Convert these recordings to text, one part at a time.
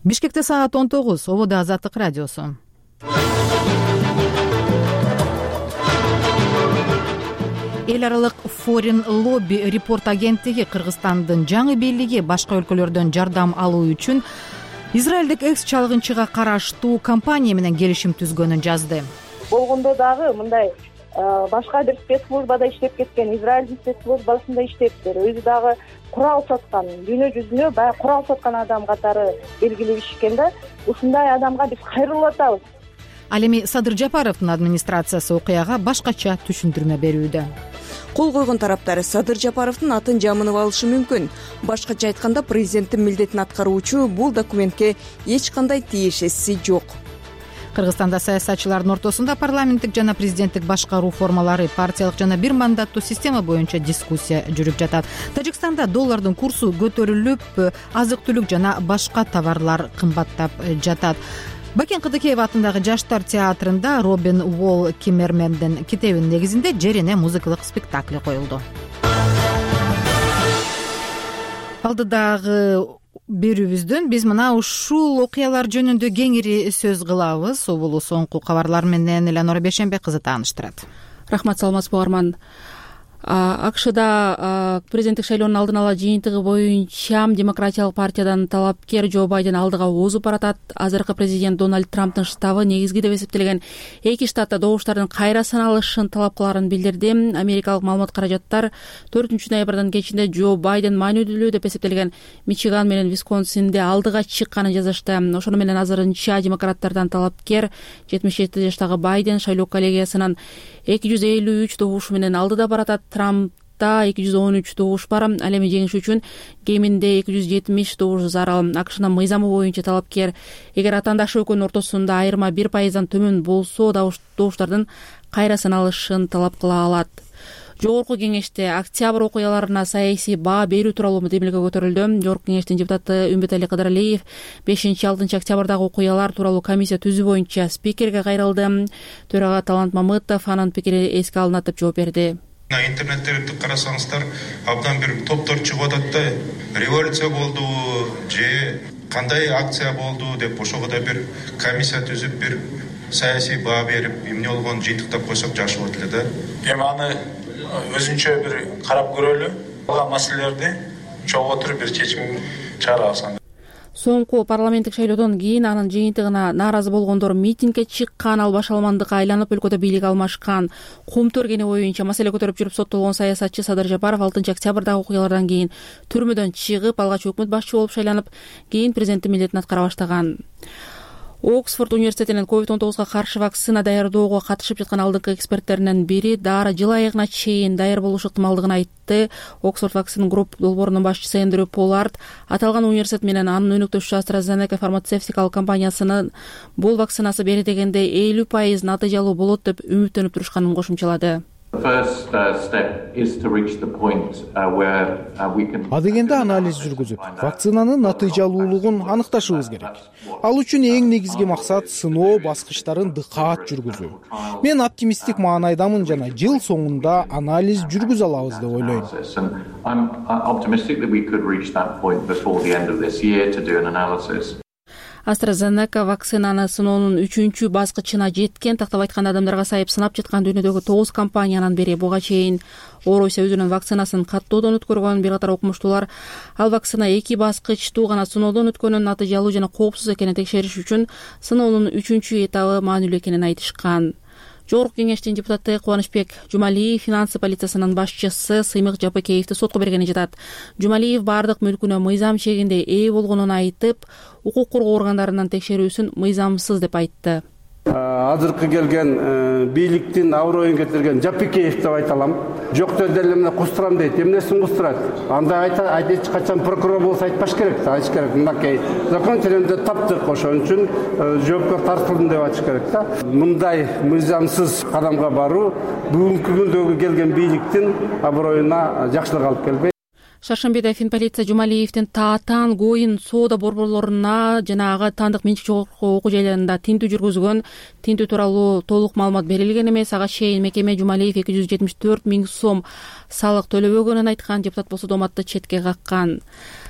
Бишкекте саат 19, Ободо Азаттык радиосу. Эл аралык Foreign Lobby Report агенттиги Кыргызстандын жаңы бийлиги башка өлкөлөрдөн жардам алуу үчүн израилдик экс-чалгынчыга караштуу компания менен келишим түзгөнүн жазды. Болгондо дагы мындай башка бир спецслужбада иштеп кеткен, Израилдин спецслужбасында иштептир. Өзү дагы курал саткан, дүйнө жүзүнө баягы курал саткан адам катары белгилешкен да. Ушундай адамга биз кайрылып атабыз. Ал эми Садыр Жапаровдун администрациясы окуяга башкача түшүндүрмө берүүдө. Кол койгон тараптар Садыр Жапаровдун атын жамынып алышы мүмкүн. Башкача айтканда, президенттин милдетин аткаруучу бул документке эч кандай тиешеси жок. Кыргызстанда саясатчылардын ортосунда парламенттик жана президенттик башкаруу формалары, партиялык жана бир мандаттуу система боюнча дискуссия жүрүп жатат. Тажикстанда доллардын курсу көтөрүлүп, азык-түлүк жана башка товарлар кымбаттап жатат. Бакен Кыдыкеев атындагы Жаштар театрында Робин Уолл Киммермендин китебинин негизинде Жерене музыкалык спектакли коюлду. Алдыдагы берүүбүздөн биз мына ушул окуялар жөнүндө кеңири сөз кылабыз. Бул соңку кабарлар менен Эланора Бешенбек кызы тааныштырат. Рахмат, саламатсызбы угарман. АКШда президенттик шайлоонун алдын ала жыйынтыгы боюнча Демократиялык партиядан талапкер Джо Байден алдыга озуп баратат. Азыркы президент Дональд Трамптын штабы негизги деп эсептелген 2 штатта добуштардын кайра саналышын талап кыларын билдирди. Америкалык маалымат каражаттар 4-ноябрдын кечинде Джо Байден маанилүү деп эсептелген Мичиган менен Висконсинде алдыга чыкканын жазышты. Ошону менен азырынча демократтардан талапкер 77 жаштагы Байден шайлоо коллегиясынын 253 добушу менен алдыда баратат. Трампта 213 добуш бар. Ал эми жеңиш үчүн кеминде 270 добуш зарыл. АКШнын мыйзамы боюнча талапкер эгер атаандаш экөөнүн ортосунда айырма 1%дан төмөн болсо, добуштардын кайра саналышын талап кыла алат. Жогорку кеңеште октябрь окуяларына саясий баа берүү тууралуу демилге көтөрүлдү. Жогорку кеңештин депутаты Үмбетали Кыдыралиев 5-6 октябрдагы окуялар тууралуу комиссия түзүү боюнча спикерге кайрылды. Төрага Талант Мамытов анын пикири эске алынат деп жооп берди. Интернеттерди карасаңыздар, абдан бир топтор чыгып атат да, революция болду же кандай акция болду деп ошого да бир комиссия түзүп, бир саясий баа берип, эмне болгонун жыйынтыктап койсок жакшы болот эле да. Эми аны өзүнчө бир карап көрөлү, калган маселелерди чогуу отуруп бир чечим чыгарабыз. Соңку парламенттик шайлоодон кийин анын жыйынтыгына нааразы болгондор митингге чыккан, ал башаламандыкка айланып өлкөдө бийлик алмашкан. Кумту өргени боюнча маселе көтөрүп жүрүп соттолгон саясатчы Садыр Жапаров 6 октябрдагы окуялардан кийин түрмөдөн чыгып, алгач өкмөт башчы болуп шайланып, кийин президенттин милдетин аткара баштаган. Оксфорд университетинин COVID-19 каршы вакцина даярдоого катышып жаткан алдыңкы эксперттеринин бири дары жыл айыгына чейин даяр болушу ыктымалдыгын айтты. Оксфорд Vaccine Group долбоорунун башчысы Эндрю Поллард аталган университет менен анын өнөктөшү AstraZeneca фармацевтикалык компаниясынын бул вакцинасы бери дегенде 50% натыйжалуу болот деп үмүттөнүп турушканын кошумчалады. Адегенде анализ жүргүзүп, вакцинанын натыйжалуулугун аныкташыбыз керек. Ал үчүн эң негизги максат сыноо баскычтарын дыкаат жүргүзүү. Мен оптимисттик маанайдамын жана жыл соңунда анализ жүргүзө алабыз деп ойлойм. AstraZeneca вакцинаны сыноонун 3-чү баскычына жеткен. Тактап айтканда, адамдарга сайып сынап жаткан дүйнөдөгү 9 компаниянын бири. Буга чейин Орося өзүнүн вакцинасын каттоодон өткөргөн. Бир катар окумуштуулар ал вакцина 2 баскычтуу гана сыноодон өткөнүн, натыйжалуу жана коопсуз экенин текшериш үчүн сыноонун 3-чү этабы маанилүү экенин айтышкан. Жогорку кеңештин депутаты Кубанычбек Жумалиев финансы полициясынын башчысы Сыймык Жапыкеевди сотко бергени жатат. Жумалиев бардык мүлкүнө мыйзам чегинде ээ болгонун айтып, укук коргоо органдарынын текшерүүсүн мыйзамсыз деп айтты. Азыркы келген бийликтин аброюн кетирген Жапыкеев деп айта алам. Жок деле менен кустурам дейт. Эмнесин кустурат? Анда эч качан прокурор болсо айтпаш керек, айтыш керек. Мынакей закон тилинде таптык, ошон үчүн жоопкер тартылдым деп айтыш керек да. Мындай мыйзамсыз кадамга баруу бүгүнкү күндөгү келген бийликтин аброюна жакшылык алып келбейт. Шаршембиде Финполиция Жумалиевдин таатан Гоин соода борборлоруна жана ага таандык менчик жогорку окуу жайларында тинтүү жүргүзгөн. Тинтүү тууралуу толук маалымат берилген эмес. Ага чейин мекеме Жумалиев 274 000 сом салык төлөбөгөнүн айткан. Депутат болсо дооматты четке каккан.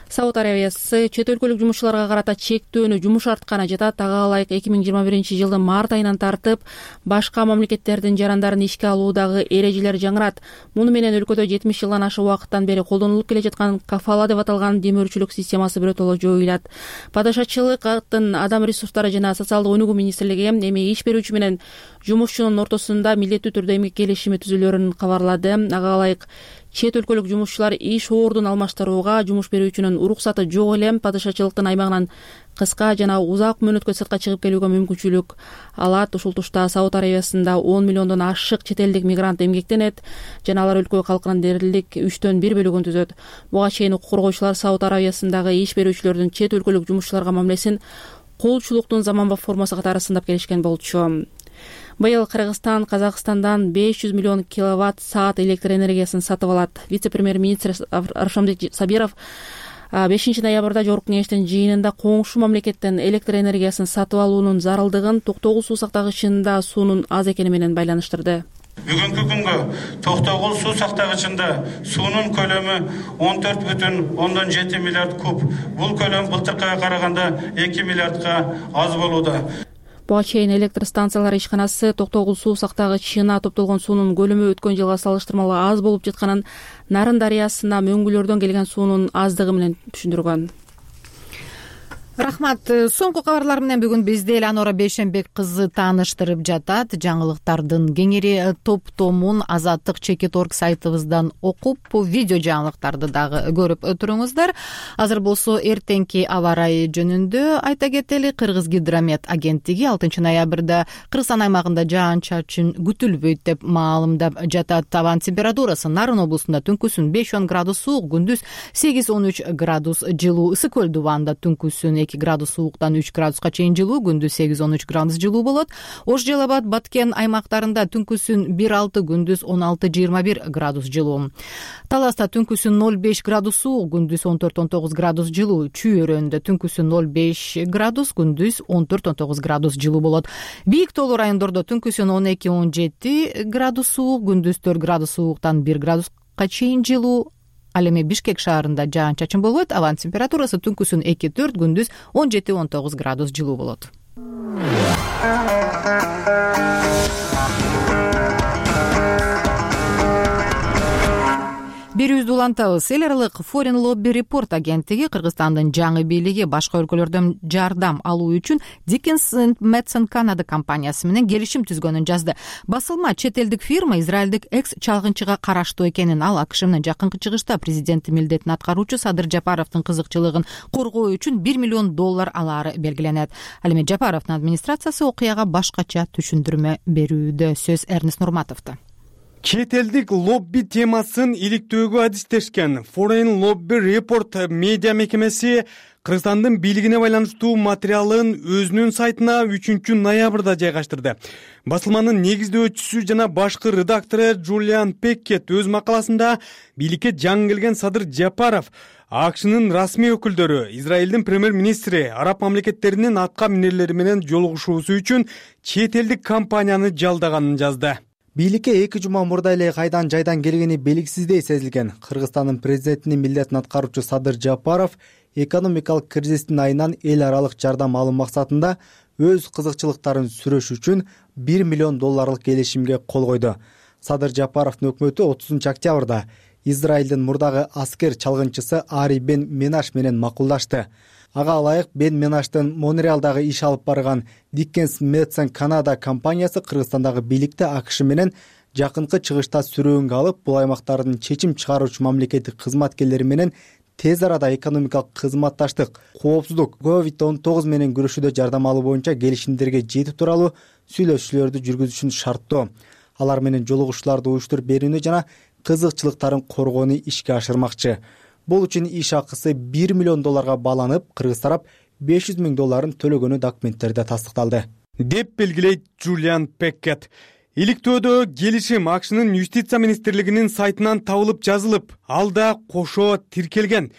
Сауд Арабиясы чет өлкөлүк жумушчуларга карата чектөөнү жумшартканы жатат. Ага ылайык 2021-жылдын март айынан тартып башка мамлекеттердин жарандарын ишке алуудагы эрежелер жаңырат. Муну менен өлкөдө 70 жылдан ашык убакыттан бери колдонулуп келе жаткан кафала деп аталган демөөрчүлүк системасы биротоло жоюлат. Падышачылыктын адам ресурстары жана социалдык өнүгүү министрлиги эми иш берүүчү менен жумушчунун ортосунда милдеттүү түрдө эмгек келишими түзүлөрүн кабарлады. Ага ылайык чет өлкөлүк жумушчулар иш ордун алмаштырууга жумуш берүүчүнүн уруксаты жок эле падышачылыктын аймагынан кыска жана узак мөөнөткө сыртка чыгып келүүгө мүмкүнчүлүк алат. Ушул тушта Сауд Арабиясында 10 миллиондон ашык чет элдик мигрант эмгектенет жана алар өлкө калкынын дээрлик 3/1 бөлүгүн түзөт. Буга чейин укук коргоочулар Сауд Арабиясындагы иш берүүчүлөрдүн чет өлкөлүк жумушчуларга мамилесин кулчулуктун заманбап формасы катары сындап келишкен болчу. Быйыл Кыргызстан Казакстандан 500 миллион киловатт саат электр энергиясын сатып алат. Вице-премьер-министр Аршамбек Сабиров 5 ноябрда Жогорку кеңештин жыйынында коңшу мамлекеттен электр энергиясын сатып алуунун зарылдыгын Токтогул суу сактагычында суунун аз экени менен байланыштырды. Бүгүнкү күнгө Токтогул суу сактагычында суунун көлөмү 14,7 миллиард куб. Бул көлөм былтыркыга караганда 2 миллиардка аз болууда. Буга чейин электр станциялары ишканасы Токтогул суу сактагычына топтолгон суунун көлөмү өткөн жылга салыштырмалуу аз болуп жатканын, Нарын дарыясына мөңгүлөрдөн келген суунун аздыгы менен түшүндүргөн. Рахмат. Соңку кабарлар менен бүгүн бизди Эланора Бейшенбек кызы тааныштырып жатат. Жаңылыктардын кеңири топтомун Азаттык.org сайтыбыздан окуп, видео жаңылыктарды дагы көрүп туруңуздар. Азыр болсо эртеңки аба ырайы жөнүндө айта кетели. Кыргызгидромет агенттиги 6 ноябрда Кыргызстан аймагында жаан-чачын күтүлбөйт деп маалымдап жатат. Табан температурасы Нарын облусунда түнкүсүн 5-10 градус суук, күндүз 8-13 градус жылуу. Ысык көл дубанда түнкүсүн 2 градус сууктан 3 градуска чейин жылуу, күндүз 8-13 градус жылуу болот. Ош Жалал Абад, Баткен аймактарында түнкүсүн 1-6, күндүз 16-21 градус жылуу. Таласта түнкүсүн 0-5 градус суук, күндүз 14-19 градус жылуу. Чүй өрөөнүндө түнкүсүн 0-5 градус, күндүз 14-19 градус жылуу болот. Бийик тоолуу райондордо түнкүсүн 12-17 градус суук, күндүз 4 градус сууктан 1 градуска чейин жылуу. Ал эми Бишкек шаарында жаан-чачын болбойт. Абанын температурасы түнкүсүн 2-4, күндүз 17-19 градус жылуу болот. Берүүбүздү улантабыз. Эл аралык Foreign Lobby Report агенттиги Кыргызстандын жаңы бийлиги башка өлкөлөрдөн жардам алуу үчүн Dickens & Madson Canada компаниясы менен келишим түзгөнүн жазды. Басылма чет элдик фирма израилдик экс-чалгынчыга караштуу экенин, ал АКШ менен жакынкы чыгышта президенттин милдетин аткаруучу Садыр Жапаровдун кызыкчылыгын коргоо үчүн $1 миллион алары белгиленет. Ал эми Жапаровдун администрациясы окуяга башкача түшүндүрмө берүүдө. Сөз Эрнест Нурматовдо. Чет элдик лобби темасын иликтөөгө адистешкен Foreign Lobby Report медиа мекемеси Кыргызстандын бийлигине байланыштуу материалын өзүнүн сайтына 3 ноябрда жайгаштырды. Басылманын негиздөөчүсү жана башкы редактору Джулиан Пеккет өз макаласында бийликке жаңы келген Садыр Жапаров, АКШнын расмий өкүлдөрү, Израилдин премьер-министри, араб мамлекеттеринин атка минерлери менен жолугушуусу үчүн чет элдик компанияны жалдаганын жазды. Бийликке 2 жума мурда эле кайдан жайдан келгени белгисиздей сезилген Кыргызстандын президентинин милдетин аткаруучу Садыр Жапаров экономикалык кризистин айынан эл аралык жардам алуу максатында өз кызыкчылыктарын сүрөш үчүн $1 миллион келишимге кол койду. Садыр Жапаровдун өкмөтү 30 октябрда Израилдин мурдагы аскер чалгынчысы Ари Бен Менаш менен макулдашты. Ага ылайык Бен Менаштын Монреалдагы иш алып барган Dickens & Madson Canada компаниясы Кыргызстандагы бийликти АКШ менен жакынкы чыгышта сүрөөнгө алып, бул аймактардын чечим чыгаруучу мамлекеттик кызматкерлери менен тез арада экономикалык кызматташтык, коопсуздук, COVID-19 менен күрөшүүдө жардам алуу боюнча келишимдерге жетүү тууралуу сүйлөшүүлөрдү жүргүзүшүн шарттоо. Алар менен жолугушууларды уюштуруп берүүнү жана кызыкчылыктарын коргоону ишке ашырмакчы. Бул үчүн иш акысы $1 миллион бааланып, кыргыз тарап $500 000 төлөгөнү документтерде тастыкталды, деп белгилейт Джулиан Пеккет. Иликтөөдө келишим АКШнын юстиция министрлигинин сайтынан табылып жазылып, ал да кошо тиркелген.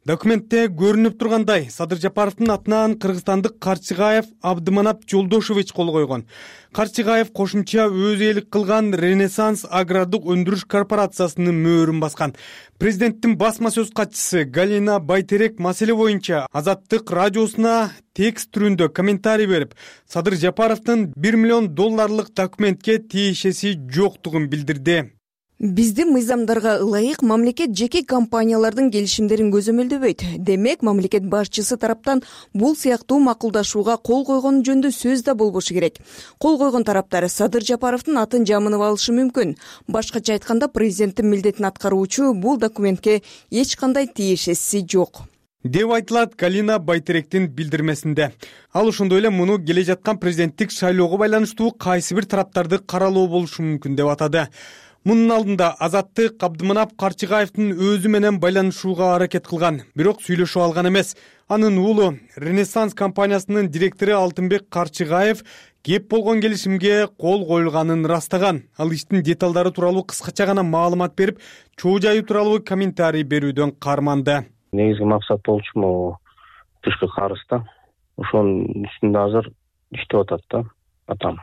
Документте көрүнүп тургандай, Садыр Жапаровдун атынан Кыргызстандык Карчыгаев Абдыманап Жолдошович кол койгон. Карчыгаев кошумча өз ээлик кылган Ренессанс агрардык өндүрүш корпорациясынын мөөрүн баскан. Президенттин басма сөз катчысы Галина Байтерек маселе боюнча Азаттык радиосуна текст түрүндө комментарий берип, Садыр Жапаровдун $1 миллион документке тиешеси жоктугун билдирди. Биздин мыйзамдарга ылайык мамлекет жеке компаниялардын келишимдерин көзөмөлдөбөйт. Демек, мамлекет башчысы тараптан бул сыяктуу макулдашууга кол койгон жөнүндө сөз да болбошу керек. Кол койгон тараптар Садыр Жапаровдун атын жамынып алышы мүмкүн. Башкача айтканда, президенттин милдетин аткаруучу бул документке эч кандай тиешеси жок деп айтылат Галина Байтеректин билдирмесинде. Ал ошондой эле муну келе жаткан президенттик шайлоого байланыштуу кайсы бир тараптарды каралоо болушу мүмкүн деп атады. Мунун алдында Азаттык Абдыманап Карчыгаевдин өзү менен байланышууга аракет кылган, бирок сүйлөшүп алган эмес. Анын уулу Ренессанс компаниясынын директору Алтынбек Карчыгаев кеп болгон келишимге кол коюлганын ырастаган. Ал иштин деталдары тууралуу кыскача гана маалымат берип, чоо жайы тууралуу комментарий берүүдөн карманды. Негизги максат болчу могу тышкы карызда. Ошонун үстүндө азыр иштеп атат да атам.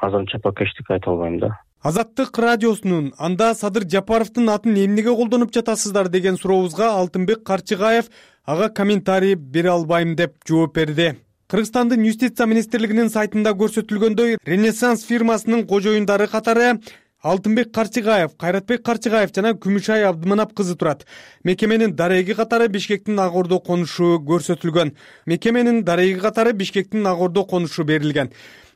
Азырынча пока эчтеке айта албайм да. Азаттык радиосунун анда Садыр Жапаровдун атын эмнеге колдонуп жатасыздар деген сурообузга Алтынбек Карчыгаев ага комментарий бере албайм деп жооп берди. Кыргызстандын юстиция министрлигинин сайтында көрсөтүлгөндөй, Ренессанс фирмасынын кожоюндары катары Алтынбек Карчыгаев, Кайратбек Карчыгаев жана Күмүшай Абдыманап кызы турат. Мекеменин дареги катары Бишкектин Ак Ордо конушу көрсөтүлгөн. Мекеменин дареги катары Бишкектин Ак Ордо конушу берилген.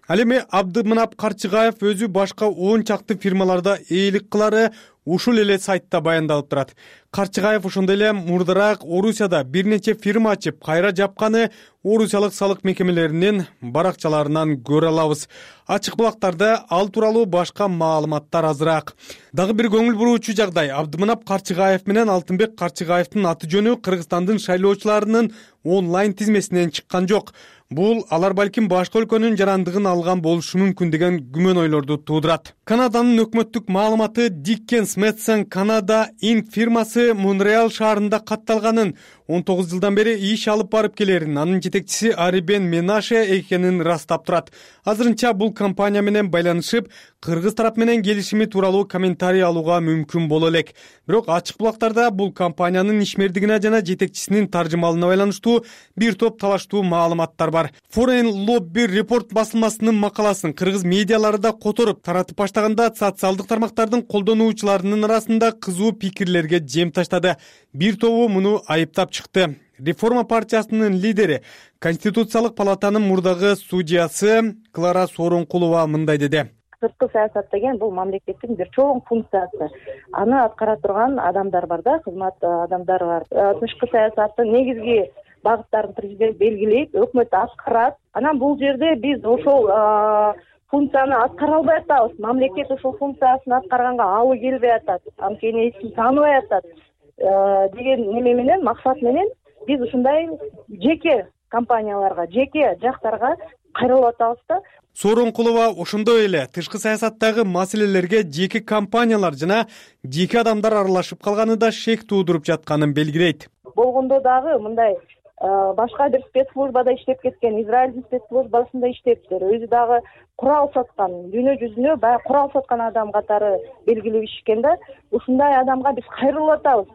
Ал эми Абдыманап Карчыгаев өзү башка 10 чакты фирмаларда ээлик кылары ушул эле сайтта баяндалып турат. Карчыгаев ошондой эле мурдараак Орусияда бир нече фирма ачып, кайра жапканы орусиялык салык мекемелеринин баракчаларынан көрө алабыз. Ачык булактарда ал тууралуу башка маалыматтар азыраак. Дагы бир көңүл буруучу жагдай, Абдыманап Карчыгаев менен Алтынбек Карчыгаевдин аты жөнү Кыргызстандын шайлоочуларынын онлайн тизмесинен чыккан жок. Бул алар балким башка өлкөнүн жарандыгын алган болушу мүмкүн деген күмөн ойлорду туудурат. Канаданын өкмөттүк маалыматы Dickens Madson Canada Inc. фирмасы Монреал шаарында катталганын, 19 жылдан бери иш алып барып келерин, анын жетекчиси Арибен Менаше экенин ырастап турат. Азырынча бул компания менен байланышып, кыргыз тарап менен келишими тууралуу комментарий алууга мүмкүн боло элек. Бирок ачык булактарда бул компаниянын ишмердигине жана жетекчисинин таржымалына байланыштуу бир топ талаштуу маалыматтар бар. Foreign Lobby Report басылмасынын макаласын кыргыз медиалары да которуп таратып баштаганда, социалдык тармактардын колдонуучуларынын арасында кызуу пикирлерге жем таштады. Бир тобу муну айыптап чыкты. Реформа партиясынын лидери, Конституциялык палатанын мурдагы судьясы Клара Сооронкулова мындай деди. Сырткы саясат деген бул мамлекеттин бир чоң функциясы. Аны аткара турган адамдар бар да, кызмат адамдары бар. Тышкы саясаттын негизги багыттарын президент белгилейт, өкмөт аткарат. Анан бул жерде биз ошол функцияны аткара албай атабыз. Мамлекет ошол функциясын аткарганга алы келбей атат, анткени эч ким тааныбай атат деген неме менен, максат менен биз ушундай жеке компанияларга, жеке жактарга кайрылып атабыз да. Сооронкулова ошондой эле тышкы саясаттагы маселелерге жеке компаниялар жана жеке адамдар аралашып калганы да шек туудуруп жатканын белгилейт. Болгондо дагы мындай башка бир спецслужбада иштеп кеткен, Израилдин спецслужбасында иштептир. Өзү дагы курал саткан, дүйнө жүзүнө баягы курал саткан адам катары белгилеп ишкен да. Ушундай адамга биз кайрылып атабыз.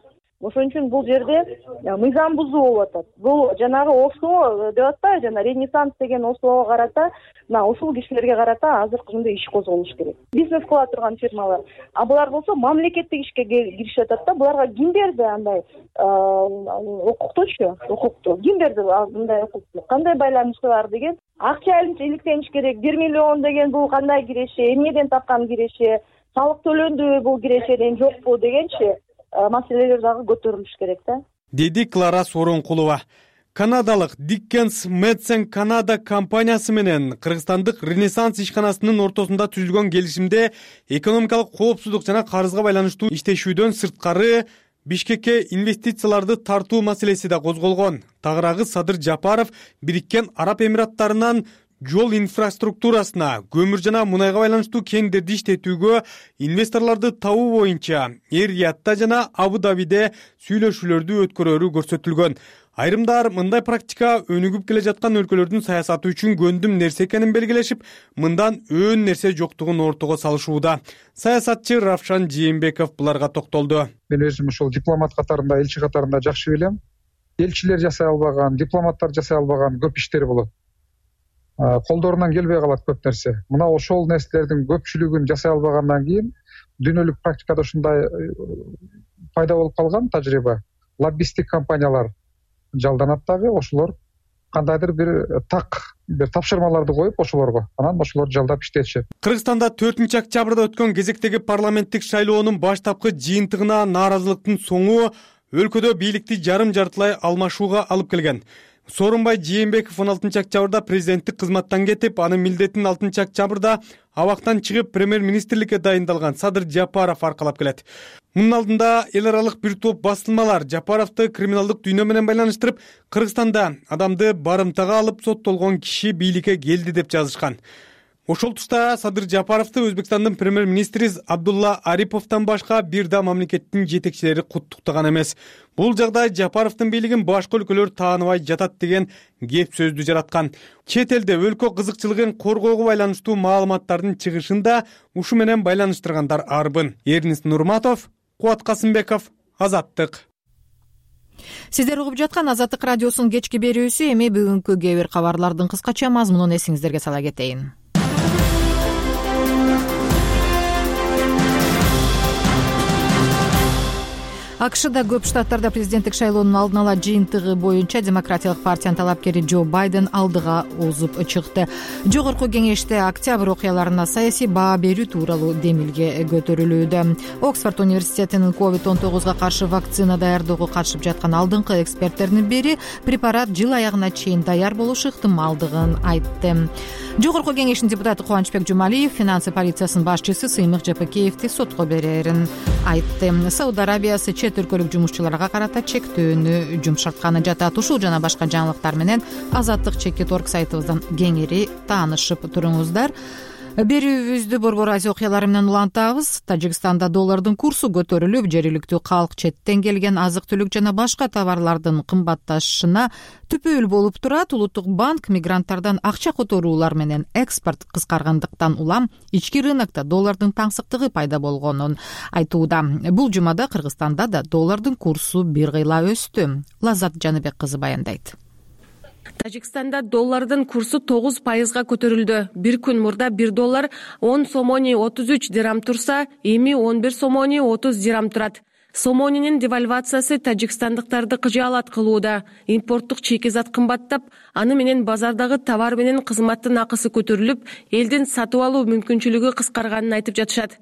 Ошон үчүн бул жерде мыйзам бузуу болуп атат. Бул жанагы ОСО деп атпайбы, жана Ренессанс деген ОСОго карата, мына ушул кишилерге карата азыр кандай иш козголуш керек. Бизнес кыла турган фирмалар. А булар болсо мамлекеттик ишке киришип атат да. Буларга ким берди андай укуктучу, укукту? Ким берди мындай укукту? Кандай байланышы бар деген? Акча иликтениш керек. 1 миллион деген бул кандай киреше? Эмнеден тапкан киреше? Салык төлөндүбү бул кирешеден жокпу дегенчи маселелер дагы көтөрүлүш керек да. Деди Клара Сооронкулова. Канадалык Dickens Madson Canada компаниясы менен Кыргызстандык Ренессанс ишканасынын ортосунда түзүлгөн келишимде экономикалык коопсуздук жана карызга байланыштуу иштешүүдөн сырткары Бишкекке инвестицияларды тартуу маселеси да козголгон. Тагыраагы Садыр Жапаров Бириккен Араб Эмираттарынан жол инфраструктурасына, көмүр жана мунайга байланыштуу кендерди иштетүүгө, инвесторлорду табуу боюнча Эр-Риядда жана Абу-Дабиде сүйлөшүүлөрдү өткөрөрү көрсөтүлгөн. Айрымдар мындай практика өнүгүп келе жаткан өлкөлөрдүн саясаты үчүн көндүм нерсе экенин белгилешип, мындан өөн нерсе жоктугун ортого салышууда. Саясатчы Равшан Жээнбеков буларга токтолду. Мен өзүм ушул дипломат катарында, элчи катарында жакшы билем. Элчилер жасай албаган, дипломаттар жасай албаган көп иштер болот. Колдорунан келбей калат көп нерсе. Мына ошол нерселердин көпчүлүгүн жасай албагандан кийин дүйнөлүк практикада ушундай пайда болуп калган тажрыйба. Лоббисттик компаниялар жалданат дагы, ошолор кандайдыр бир тапшырмаларды коюп ошолорго, анан ошолор жалдап иштетишет. Кыргызстанда 4 октябрда өткөн кезектеги парламенттик шайлоонун баштапкы жыйынтыгына нааразылыктын соңу өлкөдө бийликти жарым-жартылай алмашууга алып келген. Сооронбай Жээнбеков 16 октябрда президенттик кызматтан кетип, анын милдетин 6 октябрда абактан чыгып премьер-министрликке дайындалган Садыр Жапаров аркалап келет. Мунун алдында эл аралык бир топ басылмалар Жапаровду криминалдык дүйнө менен байланыштырып, Кыргызстанда адамды барымтага алып соттолгон киши бийликке келди деп жазышкан. Ошол тушта Садыр Жапаровду Өзбекстандын премьер-министри Абдулла Ариповдон башка бир да мамлекеттин жетекчилери куттуктаган эмес. Бул жагдай Жапаровдун бийлигин башка өлкөлөр тааныбай жатат деген кеп сөздү жараткан. Чет элде өлкө кызыкчылыгын коргоого байланыштуу маалыматтардын чыгышын да ушу менен байланыштыргандар арбын. Эрнис Нурматов, Кубат Касымбеков, Азаттык. Сиздер угуп жаткан Азаттык радиосунун кечки берүүсү. Эми бүгүнкү кээ бир кабарлардын кыскача мазмунун эсиңиздерге сала кетейин. АКШда көп штаттарда президенттик шайлоонун алдын ала жыйынтыгы боюнча Демократиялык партиянын талапкери Джо Байден алдыга озуп чыкты. Жогорку кеңеште октябрь окуяларына саясий баа берүү тууралуу демилге көтөрүлүүдө. Оксфорд университетинин COVID-19 каршы вакцина даярдоого катышып жаткан алдыңкы эксперттердин бири препарат жыл аягына чейин даяр болушу ыктымалдыгын айтты. Жогорку кеңештин депутаты Кубанычбек Жумалиев финансы полициясынын башчысы Сыймык Жапакеевди сотко берерин айтты. Сауд Арабиясы чет өлкөлүк жумушчуларга карата чектөөнү жумшартканы жатат. Ушул жана башка жаңылыктар менен Азаттык Чекит.орг сайтыбыздан кеңири таанышып туруңуздар. Берүүбүздү Борбор Азия окуялары менен улантабыз. Тажикстанда доллардын курсу көтөрүлүп, жергиликтүү калк четтен келген азык-түлүк жана башка товарлардын кымбатташына түпөөл болуп турат. Улуттук банк мигранттардан акча которуулар менен экспорт кыскаргандыктан улам ички рынокто доллардын таңсыктыгы пайда болгонун айтууда. Бул жумада Кыргызстанда да доллардын курсу бир кыйла өстү. Лаззат Жаныбек кызы баяндайт. Тажикстанда доллардын курсу 9%га көтөрүлдү. Бир күн мурда 1 доллар 10 сомони 33 дирам турса, эми 11 сомони 30 дирам турат. Сомонинин девальвациясы тажикстандыктарды кыжаалат кылууда. Импорттук чекизат кымбаттап, аны менен базардагы товар менен кызматтын акысы көтөрүлүп, элдин сатып алуу мүмкүнчүлүгү кыскарганын айтып жатышат.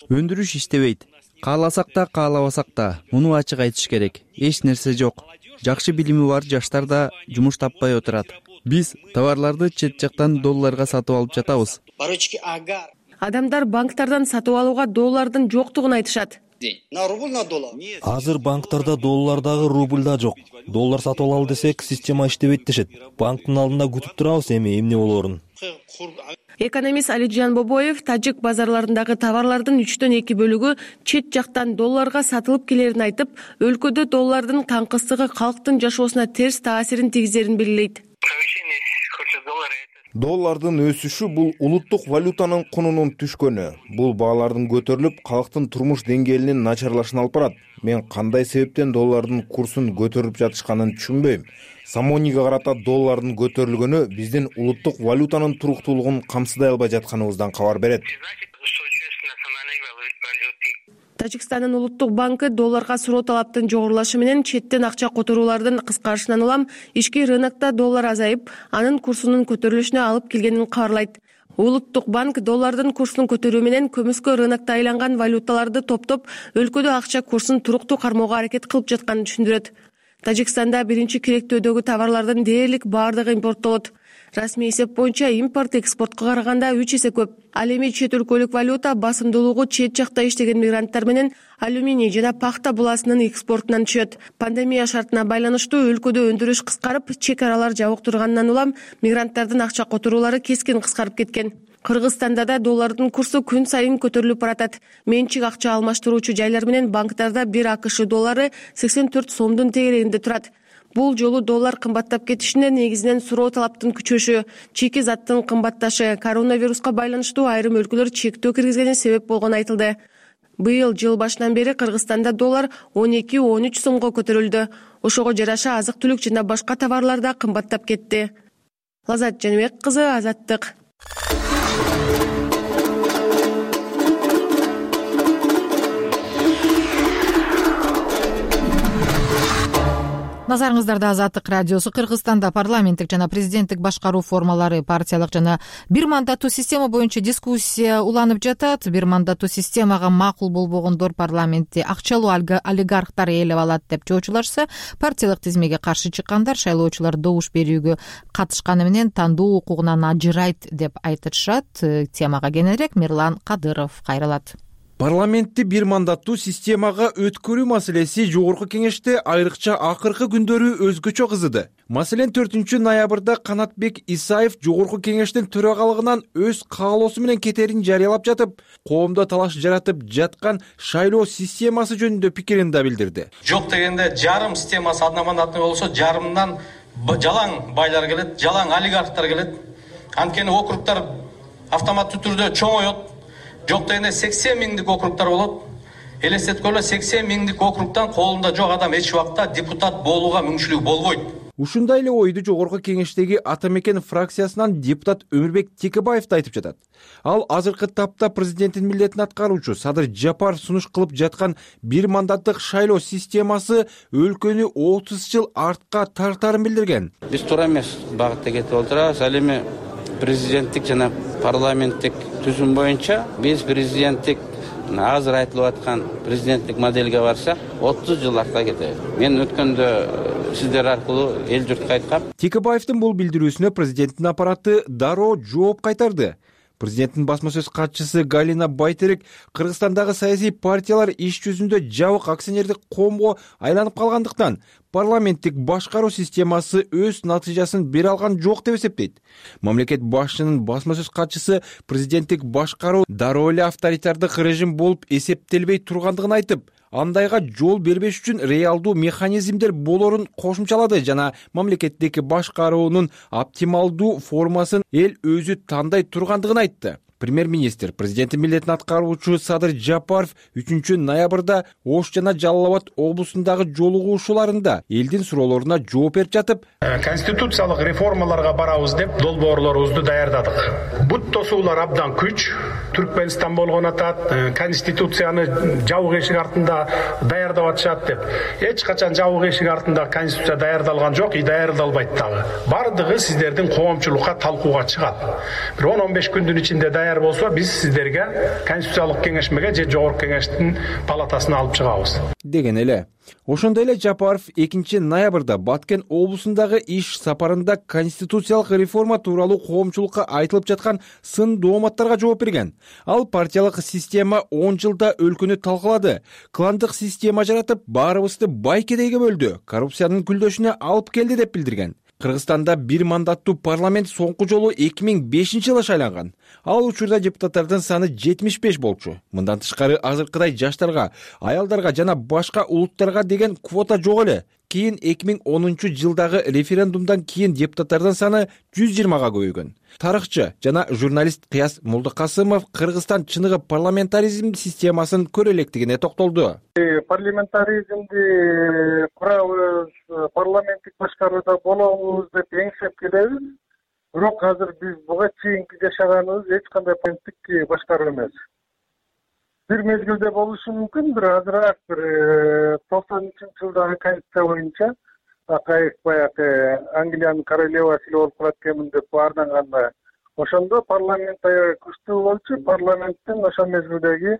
Өндүрүш иштебейт. Кааласак да, каалабасак да, муну ачык айтыш керек. Эч нерсе жок. Жакшы билими бар жаштар да жумуш таппай отурат. Биз товарларды чет жактан долларга сатып алып жатабыз. Адамдар банктардан сатып алууга доллардын жоктугун айтышат. Азыр банктарда доллар дагы, рубль да жок. Доллар сатып алалы десек, система иштебейт дешет. Банктын алдында күтүп турабыз эмне болоорун. Экономист Алиджан Бобоев тажик базарларындагы товарлардын 3/2 бөлүгү чет жактан долларга сатылып келерин айтып, өлкөдө доллардын таңкыстыгы калктын жашоосуна терс таасирин тийгизерин белгилейт. Доллардын өсүшү бул улуттук валютанын кунунун түшкөнү. Бул баалардын көтөрүлүп, калктын турмуш деңгээлинин начарлашына алып барат. Мен кандай себептен доллардын курсун көтөрүп жатышканын түшүнбөйм. Самонига карата доллардын көтөрүлгөнү биздин улуттук валютанын туруктуулугун камсыдай албай жатканыбыздан кабар берет. Тажикстандын улуттук банкы долларга суроо талаптын жогорулашы менен четтен акча которуулардын кыскарышынан улам ички рынокто доллар азайып, анын курсунун көтөрүлүшүнө алып келгенин кабарлайт. Улуттук банк доллардын курсунун көтөрүү менен көмүскө рынокто айланган валюталарды топтоп, өлкөдө акча курсун туруктуу кармоого аракет кылып жатканын түшүндүрөт. Тажикстанда биринчи керектөөдөгү товарлардын дээрлик баардыгы импорттолот. Расмий эсеп боюнча импорт экспортко караганда 3 эсе көп. Ал эми чет өлкөлүк валюта басымдуулугу чет жакта иштеген мигранттар менен алюминий жана пахта буласынын экспортунан түшөт. Пандемия шартына байланыштуу өлкөдө өндүрүш кыскарып, чек аралар жабык тургандан улам мигранттардын акча которуулары кескин кыскарып кеткен. Кыргызстанда да доллардын курсу күн сайын көтөрүлүп баратат. Менчик акча алмаштыруучу жайлар менен банктарда 1 АКШ доллары 84 сомдун тегерегинде турат. Бул жолу доллар кымбаттап кетишине негизинен суроо талаптын күчөшү, чийки заттын кымбатташы, коронавируска байланыштуу айрым өлкөлөр чектөө киргизгени себеп болгону айтылды. Быйыл жыл башынан бери Кыргызстанда доллар 12-13 сомго көтөрүлдү. Ошого жараша азык-түлүк жана башка товарлар да кымбаттап кетти. Лазат Жаныбек кызы, Азаттык. Назарыңыздарда Азаттык радиосу. Кыргызстанда парламенттик жана президенттик башкаруу формалары, партиялык жана бир мандаттуу система боюнча дискуссия уланып жатат. Бир мандаттуу системага макул болбогондор парламентти акчалуу олигархтар ээлеп алат деп жоочулашса, партиялык тизмеге каршы чыккандар шайлоочулар добуш берүүгө катышканы менен тандоо укугунан ажырайт деп айтышат. Темага кененирээк Мирлан Кадыров кайрылат. Парламентти бир мандаттуу системага өткөрүү маселеси жогорку кеңеште айрыкча акыркы күндөрү өзгөчө кызыды. Маселен 4-ноябрда Канатбек Исаев жогорку кеңештин төрагалыгынан өз каалоосу менен кетерин жарыялап жатып, коомдо талаш жаратып жаткан шайлоо системасы жөнүндө пикирин да билдирди. Жок дегенде жарым системасы одномандатный болсо, жарымдан жалаң байлар келет, жалаң олигархтар келет. Анткени округтар автоматтуу түрдө чоңоет. Жок дегенде 80 миңдик округтар болот. Элестеткөлө 80 миңдик округтан колунда жок адам эч убакта депутат болууга мүмкүнчүлүгү болбойт. Ушундай эле ойду жогорку кеңештеги Ата Мекен фракциясынан депутат Өмүрбек Текебаев да айтып жатат. Ал азыркы тапта президенттин милдетин аткаруучу Садыр Жапаров сунуш кылып жаткан бир мандаттык шайлоо системасы өлкөнү 30 жыл артка тартарын билдирген. Биз туура эмес багытта кетип отурабыз. Ал эми президенттик жана парламенттик түзүм боюнча биз президенттик азыр айтылып аткан президенттик модельге барсак 30 жыл артка кетебиз. Мен өткөндө сиздер аркылуу эл журтка айткам. Текебаевдин бул билдирүүсүнө президенттин аппараты дароо жооп кайтарды. Президенттин басма сөз катчысы Галина Байтерек Кыргызстандагы саясий партиялар иш жүзүндө жабык акционердик коомго айланып калгандыктан парламенттик башкаруу системасы өз натыйжасын бере алган жок деп эсептейт. Мамлекет башчынын басма сөз катчысы президенттик башкаруу дароо эле авторитардык режим болуп эсептелбей тургандыгын айтып, андайга жол бербеш үчүн реалдуу механизмдер болорун кошумчалады жана мамлекеттеги башкаруунун оптималдуу формасын эл өзү тандай тургандыгын айтты. Премьер-министр президенттин милдетин аткаруучу Садыр Жапаров 3-ноябрда Ош жана Жалал Абад облусундагы жолугушууларында элдин суроолоруна жооп берип жатып, конституциялык реформаларга барабыз деп долбоорлорубузду даярдадык. Бут тосуулар абдан күч. Түркменстан болгон атат, конституцияны жабык эшик артында даярдап атышат деп. Эч качан жабык эшик артында конституция даярдалган жок, даярдалбайт дагы. Бардыгы сиздердин коомчулукка талкууга чыгат. Бир 10-15 күндүн ичинде даяр болсо, биз сиздерге конституциялык кеңешмеге же жогорку кеңештин палатасына алып чыгабыз деген эле. Ошондой эле Жапаров 2-ноябрда Баткен облусундагы иш сапарында конституциялык реформа тууралуу коомчулукка айтылып жаткан сын дооматтарга жооп берген. Ал партиялык система 10 жылда өлкөнү талкалады, кландык система жаратып, баарыбызды бай кедейге бөлдү, коррупциянын күлдөшүнө алып келди деп билдирген. Кыргызстанда бир мандаттуу парламент соңку жолу 2005-жылы шайланган. Ал учурда депутаттардын саны 75 болчу. Мындан тышкары азыркыдай жаштарга, аялдарга жана башка улуттарга деген квота жок эле. Кийин 2010-жылдагы референдумдан кийин депутаттардын саны 120га көбөйгөн. Тарыхчы жана журналист Кыяс Молдокасымов Кыргызстан чыныгы парламентаризм системасын көрө электигине токтолду. Парламентаризмди курабыз, парламенттик башкарууда болобуз деп эңсеп келебиз. Бирок азыр биз буга чейинки жашаганыбыз эч кандай парламенттик башкаруу эмес. Бир мезгилде болушу мүмкүн, бир азыраак, бир 93-жылдагы конституция боюнча Акаев баягы Англиянын королевасы эле болуп калат экенмин деп баарданганда ошондо парламент аябай күчтүү болчу. Парламенттин ошол мезгилдеги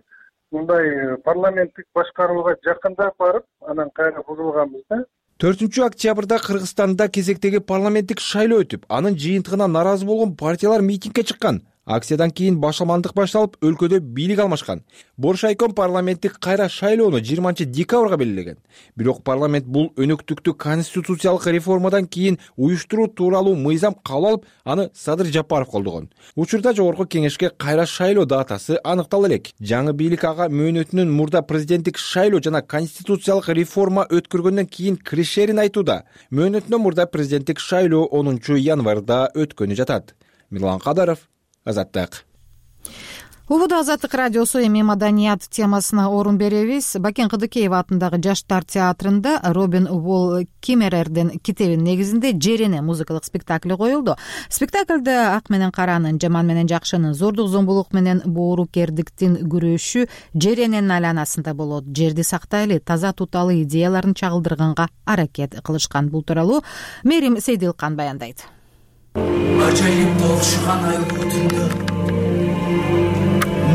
мындай парламенттик башкарууга жакындап барып, анан кайра бузулганбыз да. 4-октябрда Кыргызстанда кезектеги парламенттик шайлоо өтүп, анын жыйынтыгына наразы болгон партиялар митингге чыккан. Акциядан кийин башаламандык башталып, өлкөдө бийлик алмашкан. Боршайком парламенттик кайра шайлоону 20-декабрга белгилеген. Бирок парламент бул өнөктүктү конституциялык реформадан кийин уюштуруу тууралуу мыйзам кабыл алып, аны Садыр Жапаров колдогон. Учурда жогорку кеңешке кайра шайлоо датасы аныктала элек. Жаңы бийлик ага мөөнөтүнүн мурда президенттик шайлоо жана конституциялык реформа өткөргөндөн кийин киришерин айтууда. Мөөнөтүнөн мурда президенттик шайлоо 10-январда өткөнү жатат. Мирлан Кадаров, Азаттык. Убуда Азаттык радиосу эми маданият темасына орун беребиз. Бакен Кыдыкеева атындагы Жаштар театрында Робин Уолл Киммерердин китебинин негизинде Жерене музыкалык спектакли коюлду. Спектакльде ак менен каранын, жаман менен жакшынын, зордук зомбулук менен боорукердиктин күрөшү Жерененин айланасында болот. Жерди сактайлы, таза tutалы идеяларын чагылдырганга аракет кылышкан. Бул тууралуу Мерим Сейдилкан баяндайт. Ажайып толшуган айлуу түндө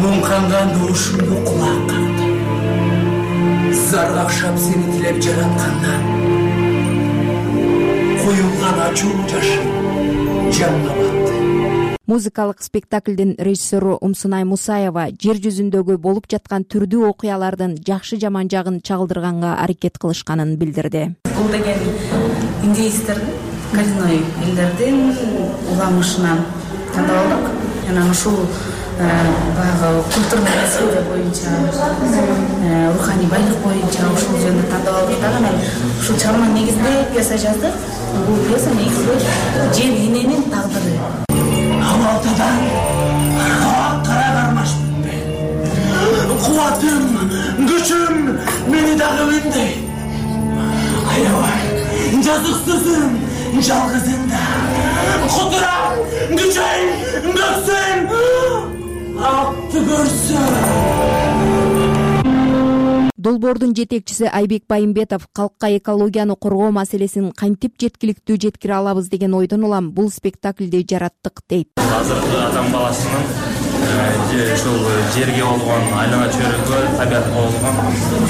муңканган доошумду кулак кагды. Заргакшап сени тилеп жараткандан коюлган ачуу жашым жанга батты. Музыкалык спектаклдин режиссеру Умсунай Мусаева жер жүзүндөгү болуп жаткан түрдүү окуялардын жакшы жаман жагын чагылдырганга аракет кылышканын билдирди. Бул деген индеецтердин, коренной элдердин уламышынан тандап алдык. Жана ушул баягы культурный наследие боюнча, руханий байлык боюнча ушул жөнүндө тандап алдык да. Анан ушул чыгарманын негизинде пьеса жаздык. Бул пьеса негизинде жер эненин тагдыры. Алтадан кара кармашмын мен. Кубатым, күчүм мени дагы үндейт. Аябай, жазыксызым, жалгызым да. Кудурам, күчөйм, көксөйм, акты көрсөм. Долбоордун жетекчиси Айбек Байымбетов калкка экологияны коргоо маселесин кантип жеткиликтүү жеткире алабыз деген ойдон улам бул спектаклди жараттык дейт. Азыркы адам баласынын ушул жерге болгон, айлана чөйрөгө, табиятка болгон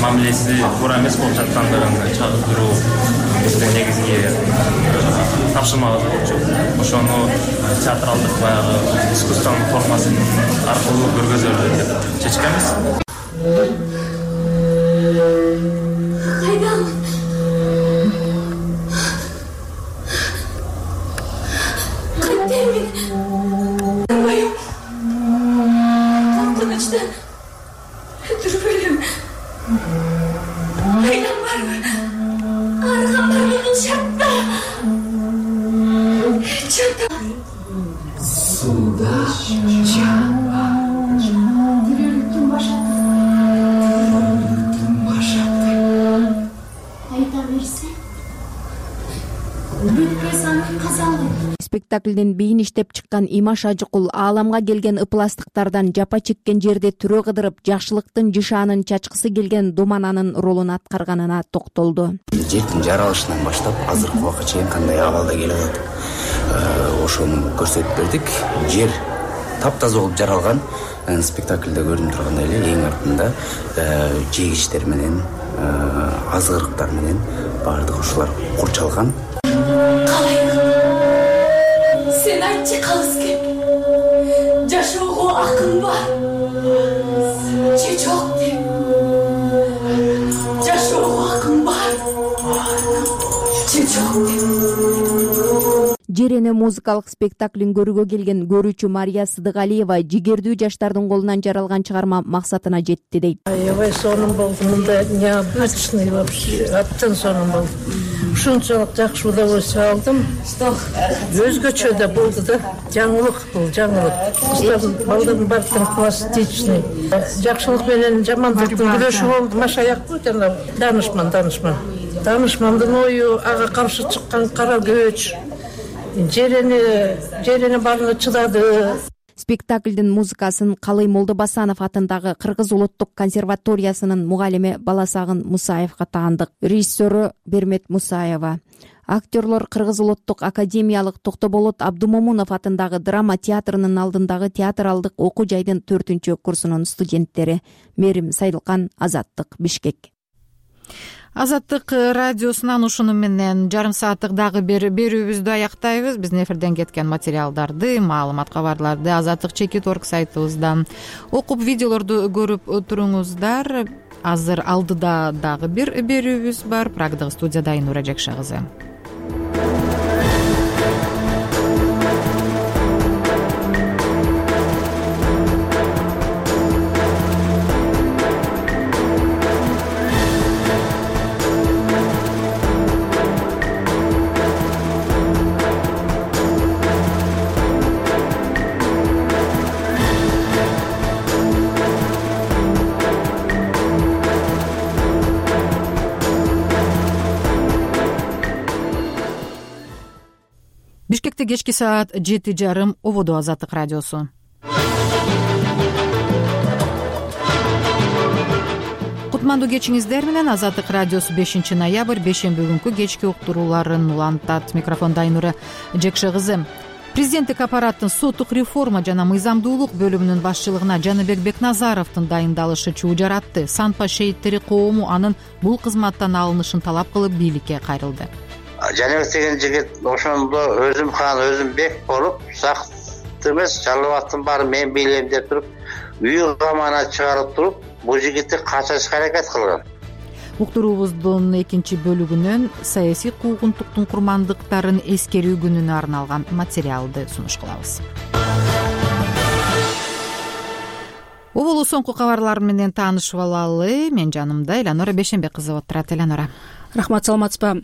мамилеси туура эмес болуп жаткандыгын чагылдыруу биздин негизги тапшырмабыз болчу. Ошону театралдык баягы искусствонун формасы аркылуу көргөзөлү деп чечкенбиз. Кайдам? Кантемин? Байым. Коркунучтан түрбөлүм. Кайдам барбы? Арган бар менин шартта. Чата. Суда жаба. Тирөлүктүн башаты. Спектаклдин бийин иштеп чыккан Имаш Ажыкул ааламга келген ыпластыктардан жапа чеккен жерде түрө кыдырып, жакшылыктын жышаанын чачкысы келген Думананын ролун аткарганына токтолду. Жердин жаралышынан баштап азыркы убакка чейин кандай абалда келип атат. Ошону көрсөтүп бердик. Жер таптаза болуп жаралган. Спектаклде көрүнүп тургандай эле эң артында жегичтер менен, азырыктар менен баардыгы ушулар курчалган. Sen айтчы калыс кеп. Жашоого акын бар. Же жок деп. Жашоого акын бар. Же жок деп. Жерене музыкалык спектаклин көрүүгө келген көрүүчү Мария Сыдыгалиева жигердүү жаштардын колунан жаралган чыгарма максатына жетти дейт. Аябай сонун болду. Мында необычный вообще. Аптын сонун болду. Ушунчалык жакшы удовольствие алдым. Өзгөчө да болду да. Жаңылык бул, жаңылык. Балдардын баардыгы пластичный. Жакшылык менен жамандыктын күрөшү болду. Машаякпы жана данышман. Данышмандын ою ага каршы чыккан кара көч. Жерене баарына чыдады. Спектаклдин музыкасын Калый Молдобасанов атындагы Кыргыз улуттук консерваториясынын мугалими Баласагын Мусаевга таандык. Режиссеру Бермет Мусаева. Актерлор Кыргыз улуттук академиялык Токтоболот Абдумомунов атындагы драма театрынын алдындагы театралдык окуу жайдын 4-курсунун студенттери. Мерим Сайдылкан, Азаттык, Бишкек. Азаттык радиосунан ушуну менен жарым сааттык дагы бир берүүбүздү аяктайбыз. Биздин эфирден кеткен материалдарды, маалымат, кабарларды azatlyk.org сайтыбыздан окуп, видеолорду көрүп туруңуздар. Азыр алдыда дагы бир берүүбүз бар. Прагдагы студияда Айнура Жекше кызы. Бишкекте кечки саат 7:30 ободо Азаттык радиосу. Кутмандуу кечиңиздер менен Азаттык радиосу 5 ноябрь бейшемби күнкү кечки уктурууларын улантат. Микрофондо Айнура Жекше кызы. Президенттик аппараттын соттук реформа жана мыйзамдуулук бөлүмүнүн башчылыгына Жаныбек Бекназаровдун дайындалышы чуу жаратты. Санпа шейиттери коому анын бул кызматтан алынышын талап кылып бийликке кайрылды. Жаныбек деген жигит ошондо өзүм хан өзүм бек болуп, сакт эмес, жалбаттын баары мен бийлейм деп туруп, үй камана чыгарып туруп, бул жигитти качырышка аракет кылган. Уктуруубуздун экинчи бөлүгүнөн саясий куугунтуктун курмандыктарын эскерүү күнүнө арналган материалды сунуш кылабыз. Оболу соңку кабарлар менен таанышып алалы. Мен жанымда Эланора Бейшембек кызы отурат. Эланора. Рахмат, саламатсызбы?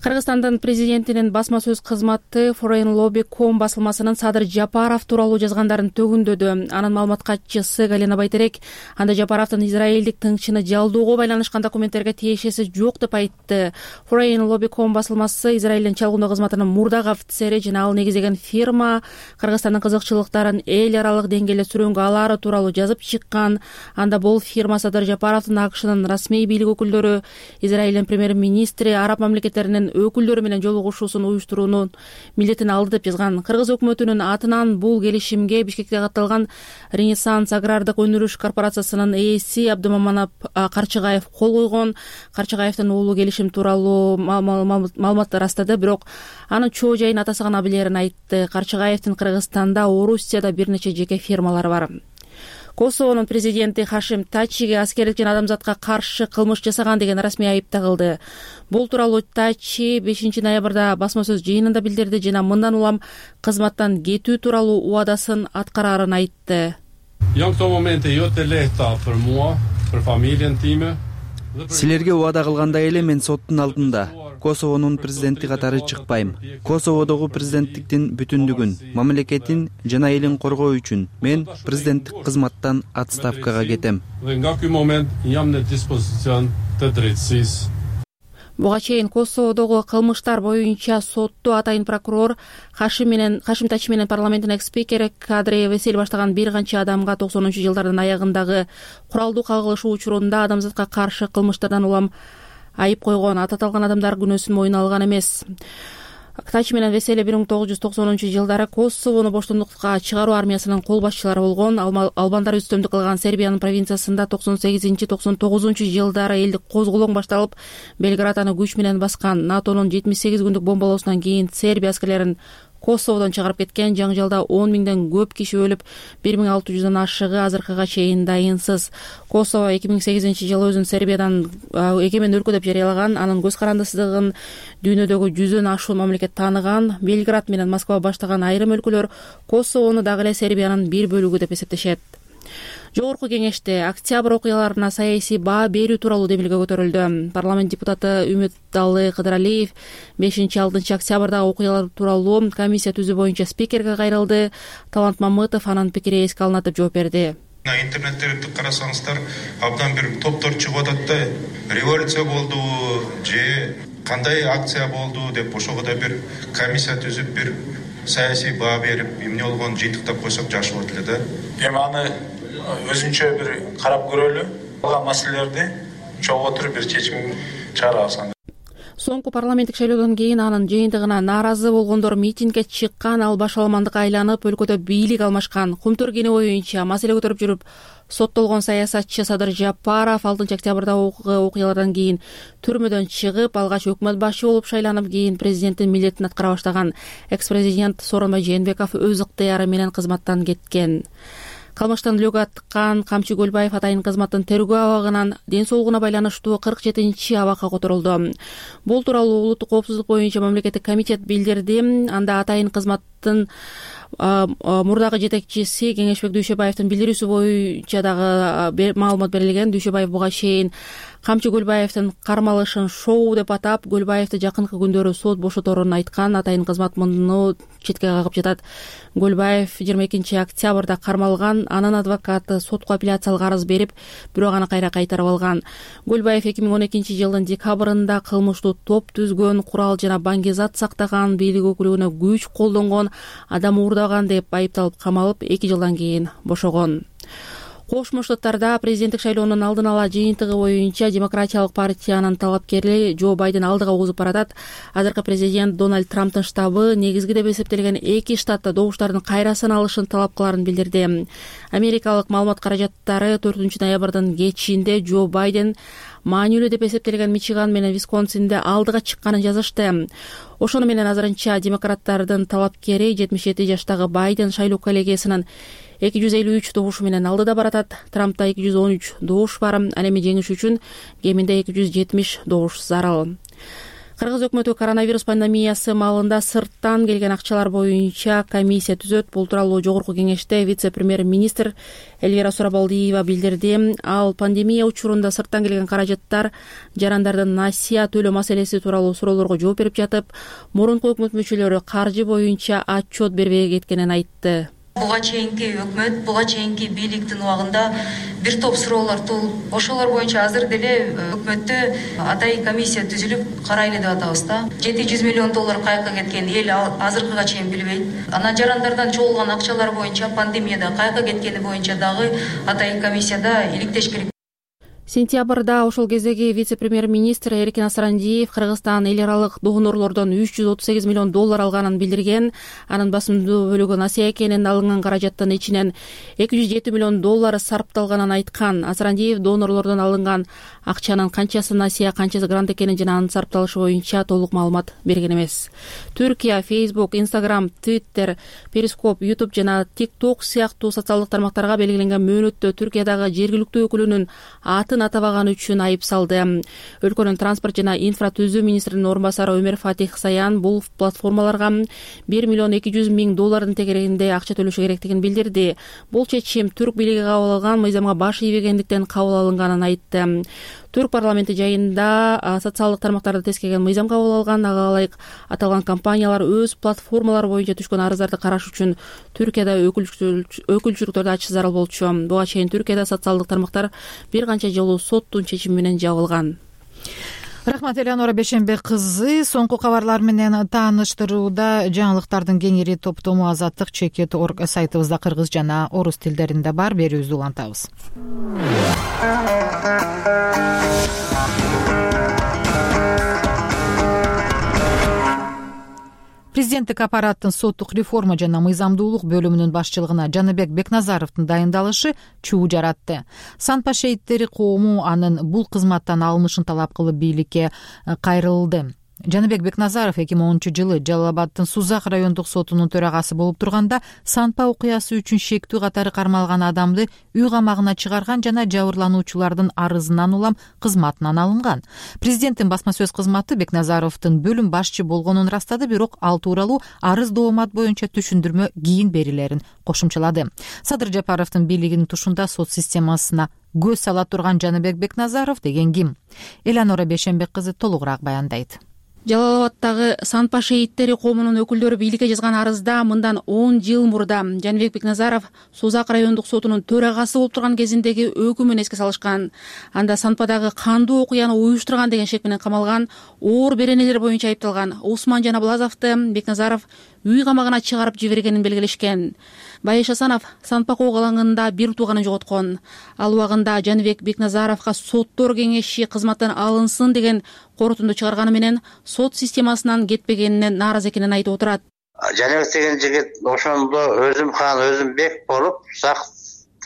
Кыргызстандын президентинин басма сөз кызматы Foreign Lobby.com басылмасынын Садыр Жапаров тууралуу жазгандарын төгүндөдү. Анын маалымат катчысы Галина Байтерек анда Жапаровдун израилдик тыңчыны жалдоого байланышкан документтерге тиешеси жок деп айтты. Foreign Lobby.com басылмасы Израилдин чалгындоо кызматынын мурдагы офицери жана ал негиздеген фирма Кыргызстандын кызыкчылыктарын эл аралык деңгээлде сүрөнгө алары тууралуу жазып чыккан. Анда бул фирма Садыр Жапаровдун АКШнын расмий бийлик өкүлдөрү, Израилдин премьер-министри, араб мамлекеттеринин өкүлдөрү менен жолугушуусун уюштуруунун милдетин алды деп жазган. Кыргыз өкмөтүнүн атынан бул келишимге Бишкекте катталган Ренессанс агрардык өнүрүш корпорациясынын ээси Абдымаманов Карчыгаев кол койгон. Карчыгаевдин уулу келишим тууралуу маалыматты ырастады, бирок анын чоо жайын атасы гана билерин айтты. Карчыгаевдин Кыргызстанда, Орусияда бир нече жеке фирмалары бар. Косовонун президенти Хашим Тачиге аскерлик жана адамзатка каршы кылмыш жасаган деген расмий айып тагылды. Бул тууралуу Тачи 5 ноябрда басма сөз жыйынында билдирди жана мындан улам кызматтан кетүү тууралуу убадасын аткарарын айтты. Силерге убада кылгандай эле мен соттун алдында Косовонун президенти катары чыкпайм. Косоводогу президенттиктин бүтүндүгүн, мамлекетин жана элин коргоо үчүн мен президенттик кызматтан отставкага кетем. Буга чейин Косоводогу кылмыштар боюнча сотту атайын прокурор Хашим Тачи менен парламенттин экс-спикери Кадрий Весель баштаган бир канча адамга 90-жылдардын аягындагы куралдуу кагылышуу учурунда адамзатка каршы кылмыштардан улам айып койгон. Аталган адамдар күнөөсүн мойнуна алган эмес. Тачи менен Веселе 1990-жылдары Косовону боштондукка чыгаруу армиясынын кол башчылары болгон. Албандар үстөмдүк кылган Сербиянын провинциясында 98-99-жылдары элдик козголоң башталып, Белград аны күч менен баскан. НАТОнун 78 күндүк бомбалоосунан кийин Сербия аскерлерин Косоводон чыгарып кеткен. Жаңжалда 10 миңден көп киши өлүп, 1600 ашыгы азыркыга чейин дайынсыз. Косово 2008-жылы өзүн Сербиядан эгемен өлкө деп жарыялаган. Анын көз карандысыздыгын дүйнөдөгү 100дөн ашуун мамлекет тааныган. Белград менен Москва баштаган айрым өлкөлөр Косовону дагы эле Сербиянын бир бөлүгү деп эсептешет. Жогорку кеңеште октябрь окуяларына саясий баа берүү тууралуу демилге көтөрүлдү. Парламент депутаты Үмүтдалы Кыдыралиев 5-6 октябрдагы окуялар тууралуу комиссия түзүү боюнча спикерге кайрылды. Талант Мамытов анын пикири эске алынат деп жооп берди. Интернеттерди карасаңыздар, абдан бир топтор чыгып атат да, революция болду же кандай акция болду деп ошого да бир комиссия түзүп бир саясий баа берип, эмне болгонун жыйынтыктап койсок жакшы болот эле да. Эми аны өзүнчө бир карап көрөлү, калган маселелерди чогуу отуруп бир чечим чыгарабыз. Соңку парламенттик шайлоодон кийин анын жыйынтыгына нааразы болгондор митингге чыккан, ал башаламандыкка айланып өлкөдө бийлик алмашкан. Кумтөр кени боюнча маселе көтөрүп жүрүп соттолгон саясатчы Садыр Жапаров 6 октябрдагы окуялардан кийин түрмөдөн чыгып, алгач өкмөт башы болуп шайланып, кийин президенттин милдетин аткара баштаган экс-президент Сооронбай Жээнбеков өз ыктыяры менен кызматтан кеткен. Кылмыштан үлгү аткан Камчы Көлбаев атайын кызматтын тергөө абагынан ден соолугуна байланыштуу 47-чи абакка которулду. Бул тууралуу улуттук коопсуздук боюнча мамлекеттик комитет билдирди. Анда атайын кызматтын мурдагы жетекчиси Кеңешбек Дүйшөбаевдин билдирүүсү боюнча дагы маалымат берилген. Дүйшөбаев буга чейин Камчы Көлбаевдин кармалышын шоу деп атап, Көлбаевди жакынкы күндөрү сот бошоторун айткан. Атайын кызмат муну четке кагып жатат. Көлбаев 22 октябрда кармалган. Анын адвокаты сотко апелляциялык арыз берип, бирок аны кайра кайтарып алган. Көлбаев 2012 жылдын декабрында кылмыштуу топ түзгөн, курал жана баңгизат сактаган, бийлик өкүлүгүнө күч колдонгон, адам уурдаган деп айыпталып камалып, 2 жылдан кийин бошогон. Кошмо Штаттарда президенттик шайлоонун алдын ала жыйынтыгы боюнча Демократиялык партиянын талапкери Джо Байден алдыга озуп баратат. Азыркы президент Дональд Трамптын штабы негизги деп эсептелген 2 штатта добуштардын кайра саналышын талап кыларын билдирди. Америкалык маалымат каражаттары 4 ноябрдын кечинде Джо Байден маанилүү деп эсептелген Мичиган менен Висконсинде алдыга чыкканын жазышты. Ошону менен азырынча демократтардын талапкери 77 жаштагы Байден шайлоо коллегиясынын 253 добушу менен алдыда баратат. Трампта 213 добуш бар. Ал эми жеңиш үчүн кеминде 270 добуш зарыл. Кыргыз өкмөтү коронавирус пандемиясы маалында сырттан келген акчалар боюнча комиссия түзөт. Бул тууралуу жогорку кеңеште вице-премьер-министр Элвира Сурабалдиева билдирди. Ал пандемия учурунда сырттан келген каражаттар жарандардын насыя төлөө маселеси тууралуу суроолорго жооп берип жатып, мурунку өкмөт мүчөлөрү каржы боюнча отчет бербей кеткенин айтты. Буга чейинки өкмөт, буга чейинки бийликтин убагында бир топ суроолор туулуп, ошолор боюнча азыр деле өкмөттө атайын комиссия түзүлүп карайлы деп атабыз да. 700 миллион доллар каяка кеткен эл азыркыга чейин билбейт. Анан жарандардан чогулган акчалар боюнча, пандемияда каяка кеткени боюнча дагы атайын комиссияда иликтеш керек. Сентябрда ошол кездеги вице-премьер-министр Эркин Асрандиев Кыргызстан эл аралык донорлордон 338 миллион доллар алганын билдирген. Анын басымдуу бөлүгү насыя экенин, алынган каражаттын ичинен 207 миллион доллар сарпталганын айткан. Асрандиев донорлордон алынган акчанын канчасы насыя, канчасы грант экенин жана анын сарпталышы боюнча толук маалымат берген эмес. Түркия, Facebook, Instagram, Twitter, Periscope, YouTube жана TikTok сыяктуу социалдык тармактарга белгиленген мөөнөттө Түркиядагы жергиликтүү өкүлүнүн атын атабаган үчүн айып салды. Өлкөнүн транспорт жана инфратүзүү министринин орун басары Өмөр Фатих Саян бул платформаларга 1 миллион 200 миң доллардын тегерегинде акча төлөшү керектигин билдирди. Бул чечим түрк бийлиги кабыл алган, мыйзамга баш ийбегендиктен кабыл алынганын айтты. Түрк парламенти жайында социалдык тармактарды тескеген мыйзам кабыл алган. Ага ылайык аталган компаниялар өз платформалары боюнча түшкөн арыздарды караш үчүн Түркияда өкүлчүлүктөрдү ачыш зарыл болчу. Буга чейин Түркияда социалдык тармактар бир канча жолу соттун чечими менен жабылган. Рахмат, Элеонора Бешенбек кызы. Соңку кабарлар менен тааныштырууда жаңылыктардын кеңири топтому Азаттык Чекет.org сайтыбызда кыргыз жана орус тилдеринде бар. Берүүбүздү улантабыз. Президенттик аппараттын соттук реформа жана мыйзамдуулук бөлүмүнүн башчылыгына Жаныбек Бекназаровдун дайындалышы чуу жаратты. Санпа шейиттери коому анын бул кызматтан алынышын талап кылып бийликке кайрылды. Жаныбек Бекназаров 2010-жылы Жалал Абаддын Сузак райондук сотунун төрагасы болуп турганда Санпа окуясы үчүн шектүү катары кармалган адамды үй камагына чыгарган жана жабырлануучулардын арызынан улам кызматынан алынган. Президенттин басма сөз кызматы Бекназаровдун бөлүм башчы болгонун ырастады, бирок ал тууралуу арыз доомат боюнча түшүндүрмө кийин берилерин кошумчалады. Садыр Жапаровдун бийлигинин тушунда сот системасына көз сала турган Жаныбек Бекназаров деген ким? Элеонора Бешенбек кызы толугураак баяндайт. Жалал Абаддагы Санпа шейиттери коомунун өкүлдөрү бийликке жазган арызда мындан 10 жыл мурда Жаныбек Бекназаров Сузак райондук сотунун төрагасы болуп турган кезиндеги өкүмүн эске салышкан. Анда Санпадагы кандуу окуяны уюштурган деген шек менен камалган, оор беренелер боюнча айыпталган Усман Жанаблазовду Бекназаров үй камагына чыгарып жибергенин белгилешкен. Байыш Асанов Санпак ок алаңында бир тууганын жоготкон. Ал убагында Жаныбек Бекназаровго соттор кеңеши кызматтан алынсын деген корутунду чыгарганы менен сот системасынан кетпегенине нааразы экенин айтып отурат. Жаныбек деген жигит ошондо өзүм хан өзүм бек болуп, сакт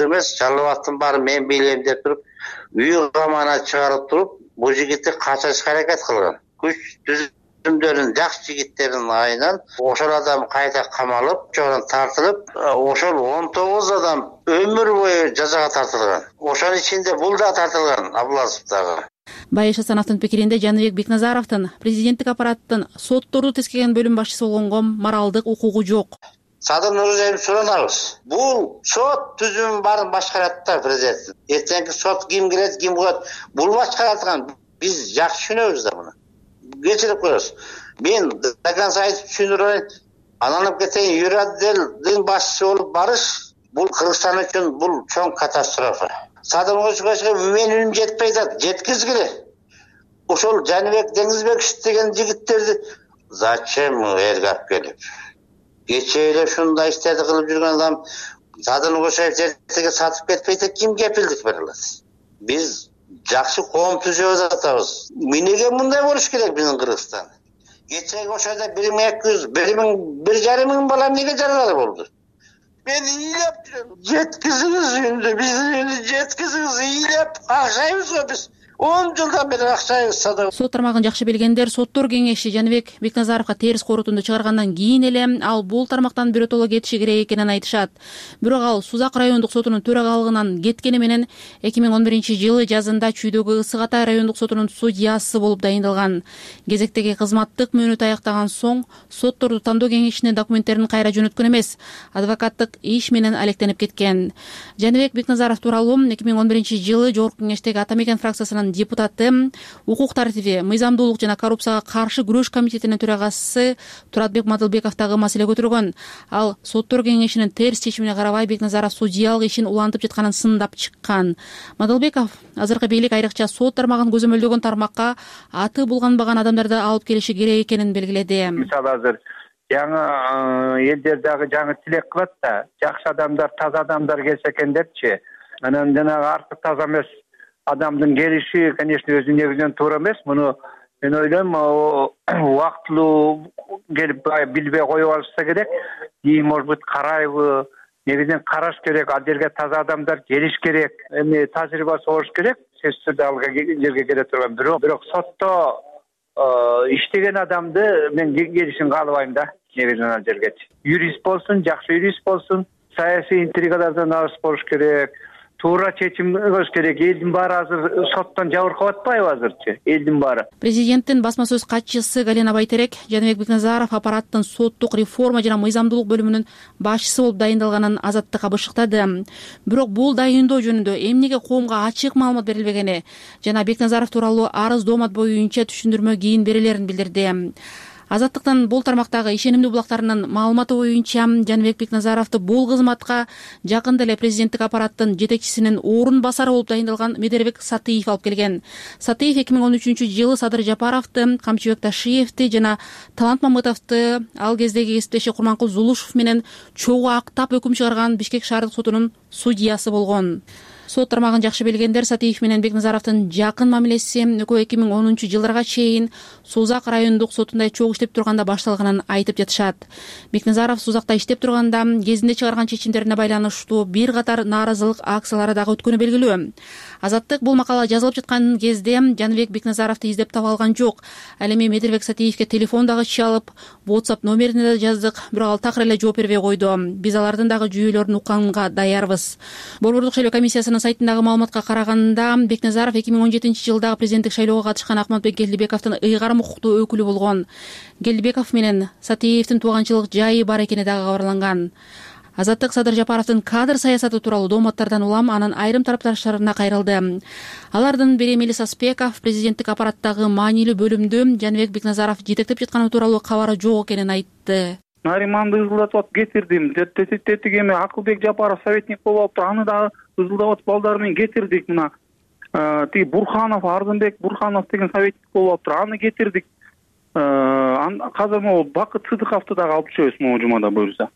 эмес, жалбаттын баары мен бийлейм деп туруп, үй камагына чыгарып туруп, бул жигитти качырышка аракет кылган. Күч түзүмдөрүн жакшы жигиттердин айынан ошол адам кайта камалып, жогон тартылып, ошол 19 адам өмүр бою жазага тартылган. Ошонун ичинде бул да тартылган, Абыласов дагы. Байыш Асановдун пикиринде Жаныбек Бекназаровдун президенттик аппараттын сотторду тескеген бөлүм башчысы болгонго моралдык укугу жок. Садыр Нурузаевди суранабыз. Бул сот түзүмүн баарын башкарат да президент. Эртеңки сот ким келет, ким коет, бул башкаратган. Биз жакшы түшүнөбүз да муну. Кечирип коебуз. Мен до конца айтып түшүндүрөйүн. Анан кетейин, юротделдин башчысы болуп барыш, бул Кыргызстан үчүн бул чоң катастрофа. Садыр Нурузаевга мен үнүм жетпей атат, жеткизгиле. Ошол Жаныбек Деңизбекович деген жигиттерди зачем элге алып келип? Кечээ эле ушундай иштерди кылып жүргөн адам Садыр Нурузаев эртеге сатып кетпейт, ким кепилдик бере алат? Биз жакшы коом түзөп атабыз. Эмнеге мындай болуш керек биздин Кыргызстан? Кечеги ошода 1200, 1500 миң бала эмнеге жаралар болду? Мен ыйлап жүрөм. Жеткизиңиз үнү, биздин үнү жеткизиңиз, ыйлап акчайбыз го биз. 10 жылдан бери акчайбыз сада. Сот тармагын жакшы билгендер соттор кеңеши Жаныбек Бекназаровго терс корутунду чыгаргандан кийин эле ал бул тармактан биротоло кетиши керек экенин айтышат. Бирок ал Сузак райондук сотунун төрагалыгынан кеткени менен 2011-жылы жазында Чүйдөгү Ысык Атай райондук сотунун судьясы болуп дайындалган. Кезектеги кызматтык мөөнөтү аяктаган соң сотторду тандоо кеңешине документтерин кайра жөнөткөн эмес, адвокаттык иш менен алектенип кеткен. Жаныбек Бекназаров тууралуу 2011-жылы Жогорку кеңештеги Ата Мекен фракциясынын депутаты, укук тартиби, мыйзамдуулук жана коррупцияга каршы күрөш комитетинин төрагасы Туратбек Мадылбеков дагы маселе көтөргөн. Ал соттор кеңешинин терс чечимине карабай Бекназаров судьялык ишин улантып жатканын сындап чыккан. Мадылбеков азыркы бийлик айрыкча сот тармагын көзөмөлдөгөн тармакка аты булганбаган адамдарды алып келиши керек экенин белгиледи. Мисалы азыр жаңы элдер дагы жаңы тилек кылат да, жакшы адамдар, таза адамдар келсе экен депчи. Анан жанагы артык таза эмес адамдын келиши, конечно, өзү негизинен туура эмес. Муну мен ойлойм, убактылуу келип билбей коюп алышса керек. Может быть, карайбы, негизинен караш керек, ал жерге таза адамдар келиш керек. Эми тажрыйбасы болуш керек. Сөзсүз түрдө ал жерге келе турган. Бирок сотто иштеген адамды мен келишин каалабайм да, негизинен ал жерге. Юрист болсун, жакшы юрист болсун, саясий интригалардан алыс болуш керек. Туура чечим кылыш керек. Элдин баары азыр соттон жабыркап атпайбы азырчы? Элдин баары. Президенттин басма сөз катчысы Галина Байтерек Жаныбек Бекназаров аппараттын соттук реформа жана мыйзамдуулук бөлүмүнүн башчысы болуп дайындалганын Азаттыкка бышыктады. Бирок бул дайындоо жөнүндө эмнеге коомго ачык маалымат берилбегени жана Бекназаров тууралуу арыз доомат боюнча түшүндүрмө кийин берилерин билдирди. Азаттыктын бул тармактагы ишенимдүү булактарынын маалыматы боюнча Жаныбек Бекназаровду бул кызматка жакында эле президенттик аппараттын жетекчисинин орун басары болуп дайындалган Медербек Сатыев алып келген. Сатыев 2013-жылы Садыр Жапаровду, Камчыбек Ташиевди жана Талант Мамытовду ал кездеги кесиптеши Курманкул Зулушев менен чогуу актап өкүм чыгарган Бишкек шаардык сотунун судьясы болгон. Сот тармагын жакшы билгендер Сатыев менен Бекназаровдун жакын мамилеси экөө 2010-жылдарга чейин Сузак райондук сотунда чогуу иштеп турганда башталганын айтып жатышат. Бекназаров Сузакта иштеп турганда кезинде чыгарган чечимдерине байланыштуу бир катар нааразылык акциялары дагы өткөнү белгилүү. Азаттык бул макала жазылып жаткан кезде Жаныбек Бекназаровду издеп таба алган жок. Ал эми Медербек Сатыевге телефон дагы чалып, WhatsApp номерине да жаздык, бирок ал такыр эле жооп бербей койду. Биз алардын дагы жүйөлөрүн укканга даярбыз. Борбордук шайлоо комиссиясынын сайтындагы маалыматка караганда Бекназаров 2017-жылдагы президенттик шайлоого катышкан Акматбек Келдибековдун ыйгарым укуктуу өкүлү болгон. Келдибеков менен Сатыевдин тууганчылык жайы бар экени дагы кабарланган. Азаттык Садыр Жапаровдун кадр саясаты тууралуу дооматтардан улам анын айрым тарапташтарына кайрылды. Алардын бири Мелис Аспеков президенттик аппараттагы маанилүү бөлүмдү Жаныбек Бекназаров жетектеп жатканы тууралуу кабары жок экенин айтты. Нариманды ызылдатып кетирдим. Тетиги эми Акылбек Жапаров советник болуп алыптыр. Аны дагы ызылдап балдар менен кетирдик. Мына тиги Бурханов, Ардынбек Бурханов деген советник болуп алыптыр. Аны кетирдик. Азыр могу Бакыт Сыдыковду дагы алып түшөбүз могу жумада буюрса.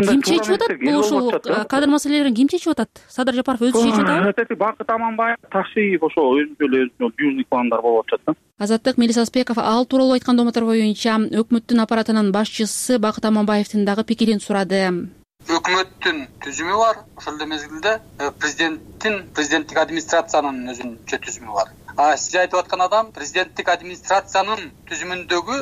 Ким чечип атат? Бул ошол кадр маселелерин ким чечип атат? Садыр Жапаров өзү чечип атабы? Бакыт Аманбаев, Ташиев ошо өзүнчө южный пландар болуп атышат да. Азаттык Мелис Аспеков ал тууралуу айткан домотор боюнча өкмөттүн аппаратынын башчысы Бакыт Аманбаевдин дагы пикирин сурады. Өкмөттүн түзүмү бар, ошол эле мезгилде президенттик администрациянын өзүнчө түзүмү бар. Сиз айтып аткан адам президенттик администрациянын түзүмүндөгү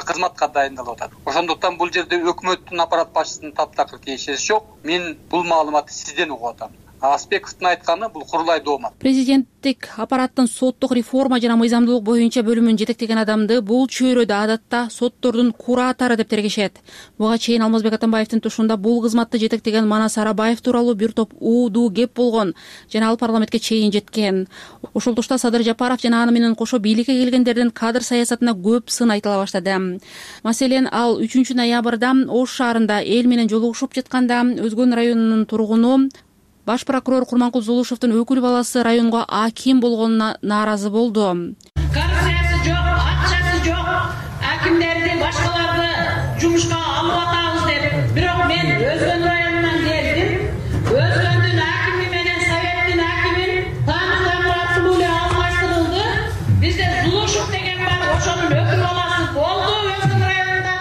кызматка дайындалып атат. Ошондуктан бул жерде өкмөттүн аппарат башчысынын таптакыр кеңешеси жок. Мен бул маалыматты сизден угуп атам. Аспековдун айтканы бул курулай доомат. Президенттик аппараттын соттук реформа жана мыйзамдуулук боюнча бөлүмүн жетектеген адамды бул чөйрөдө адатта соттордун куратору деп тергешет. Буга чейин Алмазбек Атамбаевдин тушунда бул кызматты жетектеген Манас Арабаев тууралуу бир топ уудуу кеп болгон жана ал парламентке чейин жеткен. Ошол тушта Садыр Жапаров жана аны менен кошо бийликке келгендердин кадр саясатына көп сын айтыла баштады. Маселен, ал 3 ноябрда Ош шаарында эл менен жолугушуп жатканда Өзгөн районунун тургуну Баш прокурор Курманкул Зулушевдин өкүл баласы районго аким болгонуна нааразы болду. Коррупциясы жок, акчасы жок, акимдерди башкаларды жумушка алып атабыз деп. Бирок мен Өзгөн районунан келдим. Өзгөндүн акими менен советтин акимин таануу эле алмаштырылды. Бизде Зулушев деген бар, ошонун өкүл баласы болду Өзгөн районунда.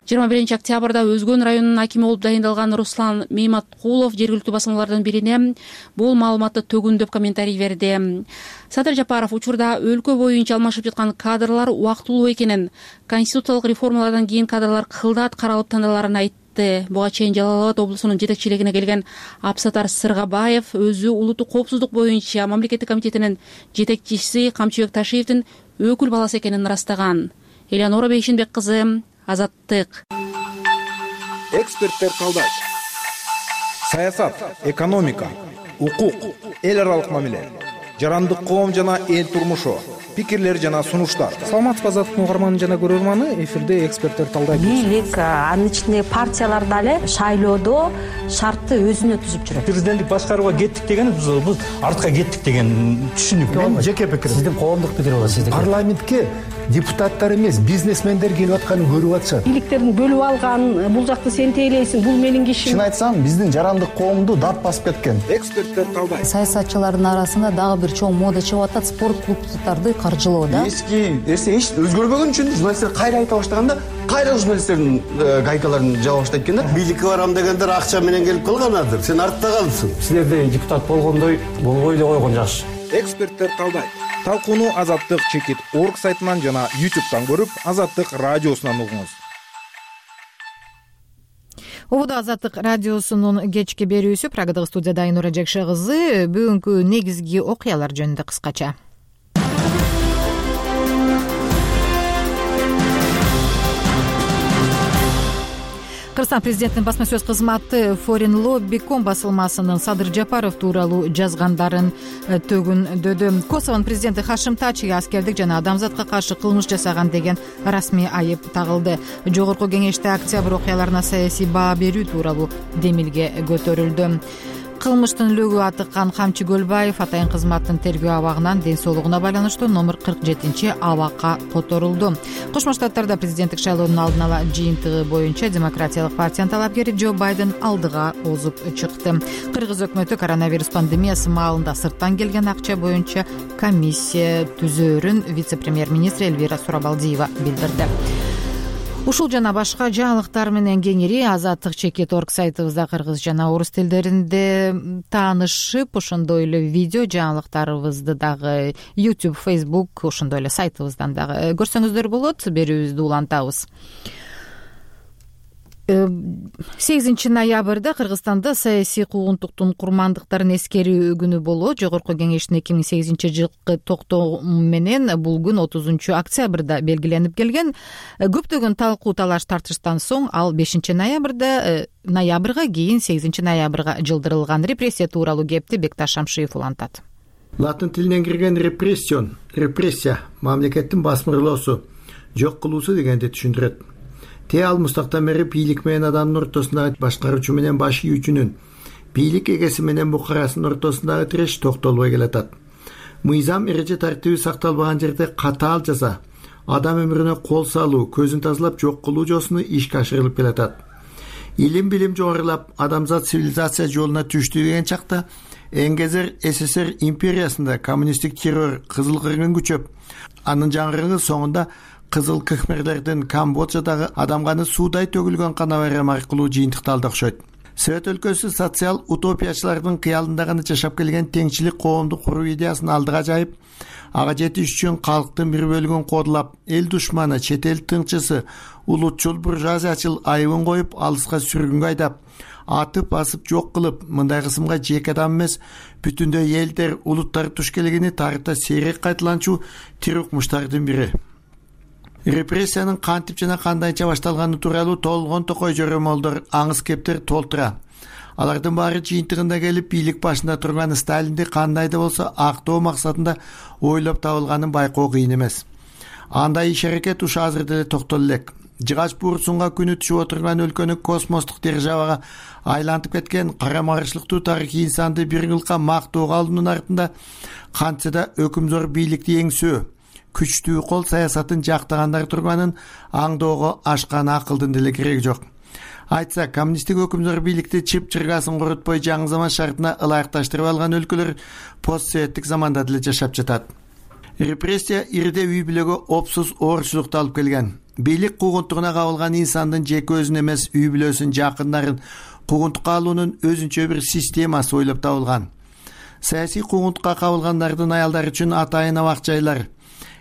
21 октябрда Өзгөн районунун акими болуп дайындалган Руслан Мейматкулов жергиликтүү басылмалардан бирине бул маалыматты төгүндөп комментарий берди. Садыр Жапаров учурда өлкө боюнча алмашып жаткан кадрлар убактылуу экенин, конституциялык реформалардан кийин кадрлар кылдат каралып тандаларын айтты. Буга чейин Жалал Абад облусунун жетекчилигине келген Абсатар Сыргабаев өзү улуттук коопсуздук боюнча мамлекеттик комитетинин жетекчиси Камчыбек Ташиевдин өкүл баласы экенин ырастаган. Элеонора Бейшенбек кызы, Азаттык. Эксперттер талдайт. Саясат, экономика, укук, эл аралык мамиле, жарандык коом жана эл турмушу, пикирлер жана сунуштар. Саламатсызбы Азаттык угарманы жана көрөрманы, эфирде эксперттер талдайт. Бийлик, анын ичинде партиялар дагы шайлоодо шартты өзүнө түзүп жүрөт. Президенттик башкарууга кеттик деген биз артка кеттик деген түшүнүк. Мен жеке пикирим. Сиздин коомдук пикир болот сиздики. Парламентке депутаттар эмес, бизнесмендер келип атканын көрүп атышат. Бийликтердин бөлүп алган, бул жакты сен тейлейсиң, бул менин кишим. Чын айтсам, биздин жарандык коомду дат басып кеткен. Эксперттер талдайт. Саясатчылардын арасында дагы бир чоң мода чыгып атат, спорт клубдарды каржылоо да. Эски нерсе эч өзгөрбөгөн үчүн журналисттер кайра айта баштаганда, кайра журналисттердин гайкаларын жаба баштайт экен да. Бийликке барам дегендер акча менен келип калганадыр. Сен артта калдың. Силерде депутат болгондой болбой эле койгон жакшы. Эксперттер талдайт. Талкууну Азаттык чекит орг сайтынан жана YouTube'дан көрүп, Азаттык радиосунан угуңуз. Убада Азаттык радиосунун кечки берүүсү. Прагадагы студияда Айнура Жекше кызы. Бүгүнкү негизги окуялар жөнүндө кыскача. Кыргызстан президентинин басма сөз кызматы Foreign Lobby.com басылмасынын Садыр Жапаров тууралуу жазгандарын төгүндөдү. Косовонун президенти Хашим Тачиге аскердик жана адамзатка каршы кылмыш жасаган деген расмий айып тагылды. Жогорку кеңеште октябрь окуяларына саясий баа берүү тууралуу демилге көтөрүлдү. Кылмыштын лөгү атыккан Камчы Көлбаев атайын кызматтын тергөө абагынан ден соолугуна байланыштуу номер 47 абакка которулду. Кошмо Штаттарда президенттик шайлоонун алдын ала жыйынтыгы боюнча демократиялык партиянын талапкери Джо Байден алдыга озуп чыкты. Кыргыз өкмөтү коронавирус пандемиясы маалында сырттан келген акча боюнча комиссия түзөөрүн вице-премьер-министр Элвира Сурабалдиева билдирди. Ушул жана башка жаңылыктар менен кеңири Азаттык чекит орг сайтыбызда кыргыз жана орус тилдеринде таанышып, ошондой эле видео жаңылыктарыбызды дагы YouTube, Facebook, ошондой эле сайтыбыздан дагы көрсөңүздөр болот. Берүүбүздү улантабыз. 8 ноябрда Кыргызстанда саясий куугунтуктун курмандыктарын эскерүү күнү болот. Жогорку кеңештин 2008 жылкы токтому менен бул күн 30 октябрда белгиленип келген. Көптөгөн талкуу талаш тартыштан соң ал 5 ноябрга кийин 8 ноябрга жылдырылган. Репрессия тууралуу кепти Бекташ Шамшиев улантат. Латын тилинен кирген репрессия мамлекеттин басмырлоосу, жок кылуусу дегенди түшүндүрөт. Те ал мустактан бери бийлик менен адамдын ортосундагы башкаруучу менен баш ийүүчүнүн, бийлик эгеси менен букарасынын ортосундагы тиреш токтолбой келатат. Мыйзам эреже тартиби сакталбаган жерде катаал жаза, адам өмүрүнө кол салуу, көзүн тазалап жок кылуу жолусуна ишке ашырылып келатат. Илим билим жогорулап, адамзат цивилизация жолуна түштү деген чакта НГЗР СССР империясында коммунисттик террор кызыл кыргын күчөп, анын жаңырыгы соңунда кызыл кхмерлердин Камбоджадагы адам каны суудай төгүлгөн кана байрамы аркылуу жыйынтыкталды окшойт. Совет өлкөсү социал утопиячылардын кыялында гана жашап келген теңчилик коомду куруу идеясын алдыга жайып, ага жетиш үчүн калктын бир бөлүгүн кодулап, эл душманы, чет эл тыңчысы, улутчул буржуазиячыл айыбын коюп, алыска сүргүнгө айдап, атып басып жок кылып, мындай кысымга жеке адам эмес, бүтүндөй элдер, улуттар туш келгени тарыхта сейрек кайталанчу тирукмуштардын бири. Репрессиянын кантип жана кандайча башталганы тууралуу толгон токой жөрөмөлдөр, аңыз кептер толтура. Алардын баары жыйынтыгында келип, бийлик башында турган Сталинди кандай да болсо актоо максатында ойлоп табылганын байкоо кыйын эмес. Андай иш-аракет ушу азыр деле токтоло элек. Жыгач буурсунга күнү түшүп отурган өлкөнү космостук державага айлантып кеткен карама-каршылыктуу тарыхый инсанды бир кылка мактоого алуунун артында кантсе да өкүмзор бийликти эңсөө, күчтүү кол саясатын жактагандар турганын аңдоого ашкан акылдын деле кереги жок. Айтса, коммунисттик өкүмзөр бийликти чып-чыргасын корутпой жаңы заман шартына ылайыкташтырып алган өлкөлөр постсоветтик заманда деле жашап жатат. Репрессия ирде үй бүлөгө опсуз оорчулукту алып келген. Бийлик куугунтугуна кабылган инсандын жеке өзүн эмес, үй бүлөсүн, жакындарын куугунтукка алуунун өзүнчө бир системасы ойлоп табылган. Саясий куугунтукка кабылгандардын аялдары үчүн атайын абак жайлар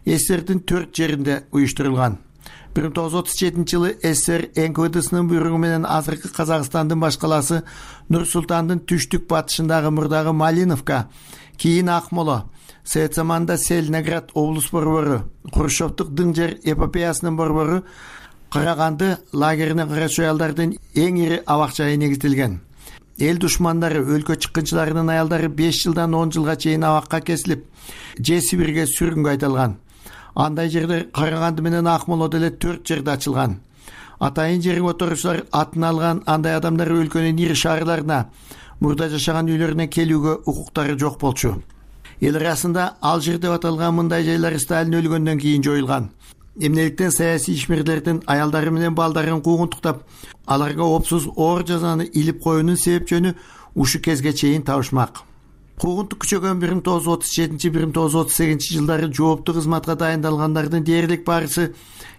СССРдин 4 жеринде уюштурулган. 1937 жылы СССР НКВДсынын буйругу менен азыркы Казакстандын баш калаасы Нур-Султандын түштүк батышындагы мурдагы Малиновка, кийин Акмола, Совет заманында Селиноград облус борбору, Хрущевдук дың жер эпопеясынын борбору Караганды лагерине карачу аялдардын эң ири абак жайы негизделген. Эл душмандары, өлкө чыккынчыларынын аялдары 5 жылдан 10 жылга чейин абакка кесилип, же Сибирге сүргүнгө айдалган. Андай жердер Караганды менен Акмола деле 4 жерде ачылган. Атайын жерге отурушчулар атын алган андай адамдар өлкөнүн ири шаарларына, мурда жашаган үйлөрүнө келүүгө укуктары жок болчу. Эл арасында Алжир деп аталган мындай жайлар Сталин өлгөндөн кийин жоюлган. Эмнеликтен саясий ишмерлердин аялдары менен балдарын куугунтуктап, аларга опсуз оор жазаны илип коюунун себеп жөнү ушу кезге чейин табышмак. Куугунтук күчөгөн 1937-1938 жылдары жооптуу кызматка дайындалгандардын дээрлик баарысы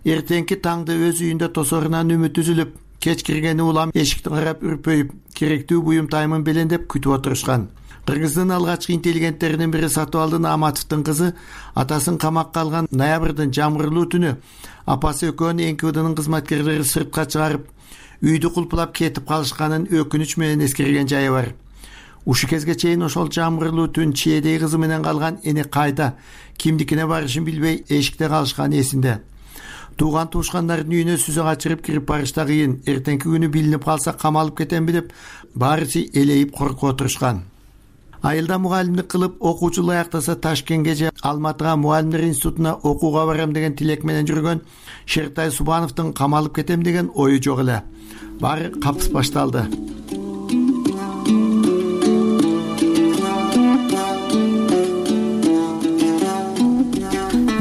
эртеңки таңды өз үйүндө тосорунан үмүт үзүлүп, кеч киргени улам эшикти карап үрпөйүп, керектүү буюм таймын белендеп күтүп отурушкан. Кыргыздын алгачкы интеллигенттеринин бири Сатыбалдын Аматовдун кызы атасын камакка алган ноябрдын жамгырлуу түнү апасы экөөнү НКВДнын кызматкерлери сыртка чыгарып, үйдү кулпулап кетип калышканын өкүнүч менен эскерген жайы бар. Ушу кезге чейин ошол жамгырлуу түн чиедей кызы менен калган эне кайда, кимдикине барышын билбей эшикте калышкан эсинде. Тууган туушкандардын үйүнө сүзө качырып кирип барышта кыйын, эртеңки күнү билинип калса камалып кетемби деп баарысы элейип коркуп отурушкан. Айылда мугалимдик кылып окуучу аяктаса Ташкентке же Алматыга мугалимдер институтуна окууга барам деген тилек менен жүргөн Шертай Субановдун камалып кетем деген ою жок эле. Баары капыс башталды.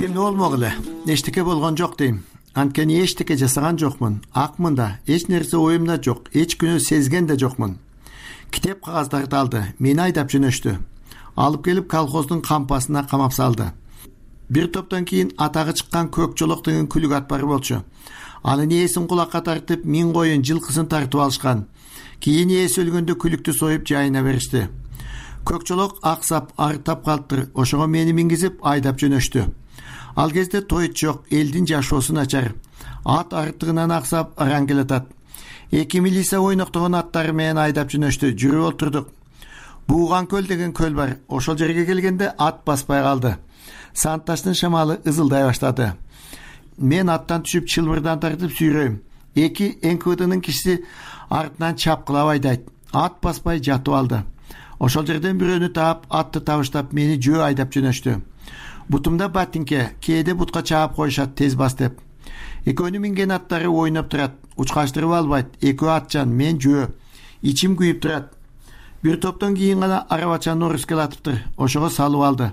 Эмне болмок эле? Эчтеке болгон жок дейм. Анткени эчтеке жасаган жокмун. Акмын да, эч нерсе оюмда жок, эч күнөө сезген да жокмун. Китеп кагаздарды алды, мени айдап жөнөштү. Алып келип колхоздун кампасына камап салды. Бир топтон кийин атагы чыккан Көк Жолок деген күлүк ат бар болчу. Анын ээсин кулакка тартып, 1000 коюн жылкысын тартып алышкан. Кийин ээси өлгөндө күлүктү союп жайына беришти. Көк Жолок аксап, арыктап калыптыр. Ошого мени мингизип айдап жөнөштү. Ал кезде тойт жок, элдин жашоосу начар. Ат арыктыгынан аксап, араң келатат. 2 милиция ойноктогон аттары менен айдап жөнөштү. Жүрүп отурдук. Бууган көл деген көл бар. Ошол жерге келгенде ат баспай калды. Санташтын шамалы ызылдай баштады. Мен аттан түшүп чылбырдан тартып сүйрөйм. 2 НКВДнын кишиси артынан чапкылап айдайт. Ат баспай жатып алды. Ошол жерден бирөөнү таап, атты табыштап мени жөө айдап жөнөштү. Бутумда ботинке, кээде бутка чаап коюшат тез бас деп. Экөөнү минген аттары ойноп турат. Учкаштырып албайт. Экөө атчан, мен жөө. Ичим күйүп турат. Бир топтон кийин гана арабачаны орус келатыптыр. Ошого салып алды.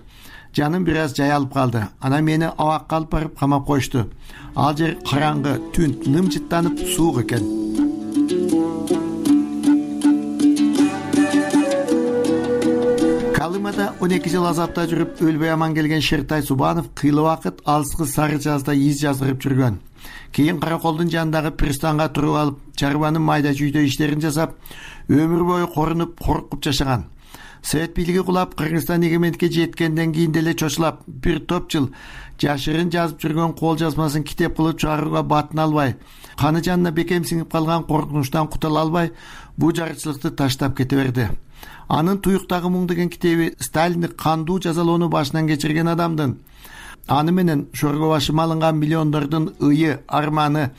жаным бир аз жаялып калды. Анан мени абакка алып барып камап коюшту. Ал жер караңгы, түн, нымжыттанып суук экен. Калымада 12 жыл азапта жүрүп өлбөй аман келген Шертай Субанов кыйла убакыт алыскы Сары Жазда из жаздырып жүргөн. Кийин Караколдун жанындагы пристанга туруп алып, чарбанын майда жүйдө иштерин жасап, өмүр бою корунуп, коркуп жашаган. Совет бийлиги кулап, Кыргызстан эгемендикке жеткенден кийин деле чочулап, бир топ жыл жашырын жазып жүргөн кол жазмасын китеп кылып чыгарууга батын албай, каны жанына бекем сиңип калган коркунучтан кутула албай, бул жарычылыкты таштап кете берди. Анын Туюктагы муң деген китеби Сталиндик кандуу жазалоону башынан кечирген адамдын, аны менен шорго башыма алынган миллиондордун ыйы, арманы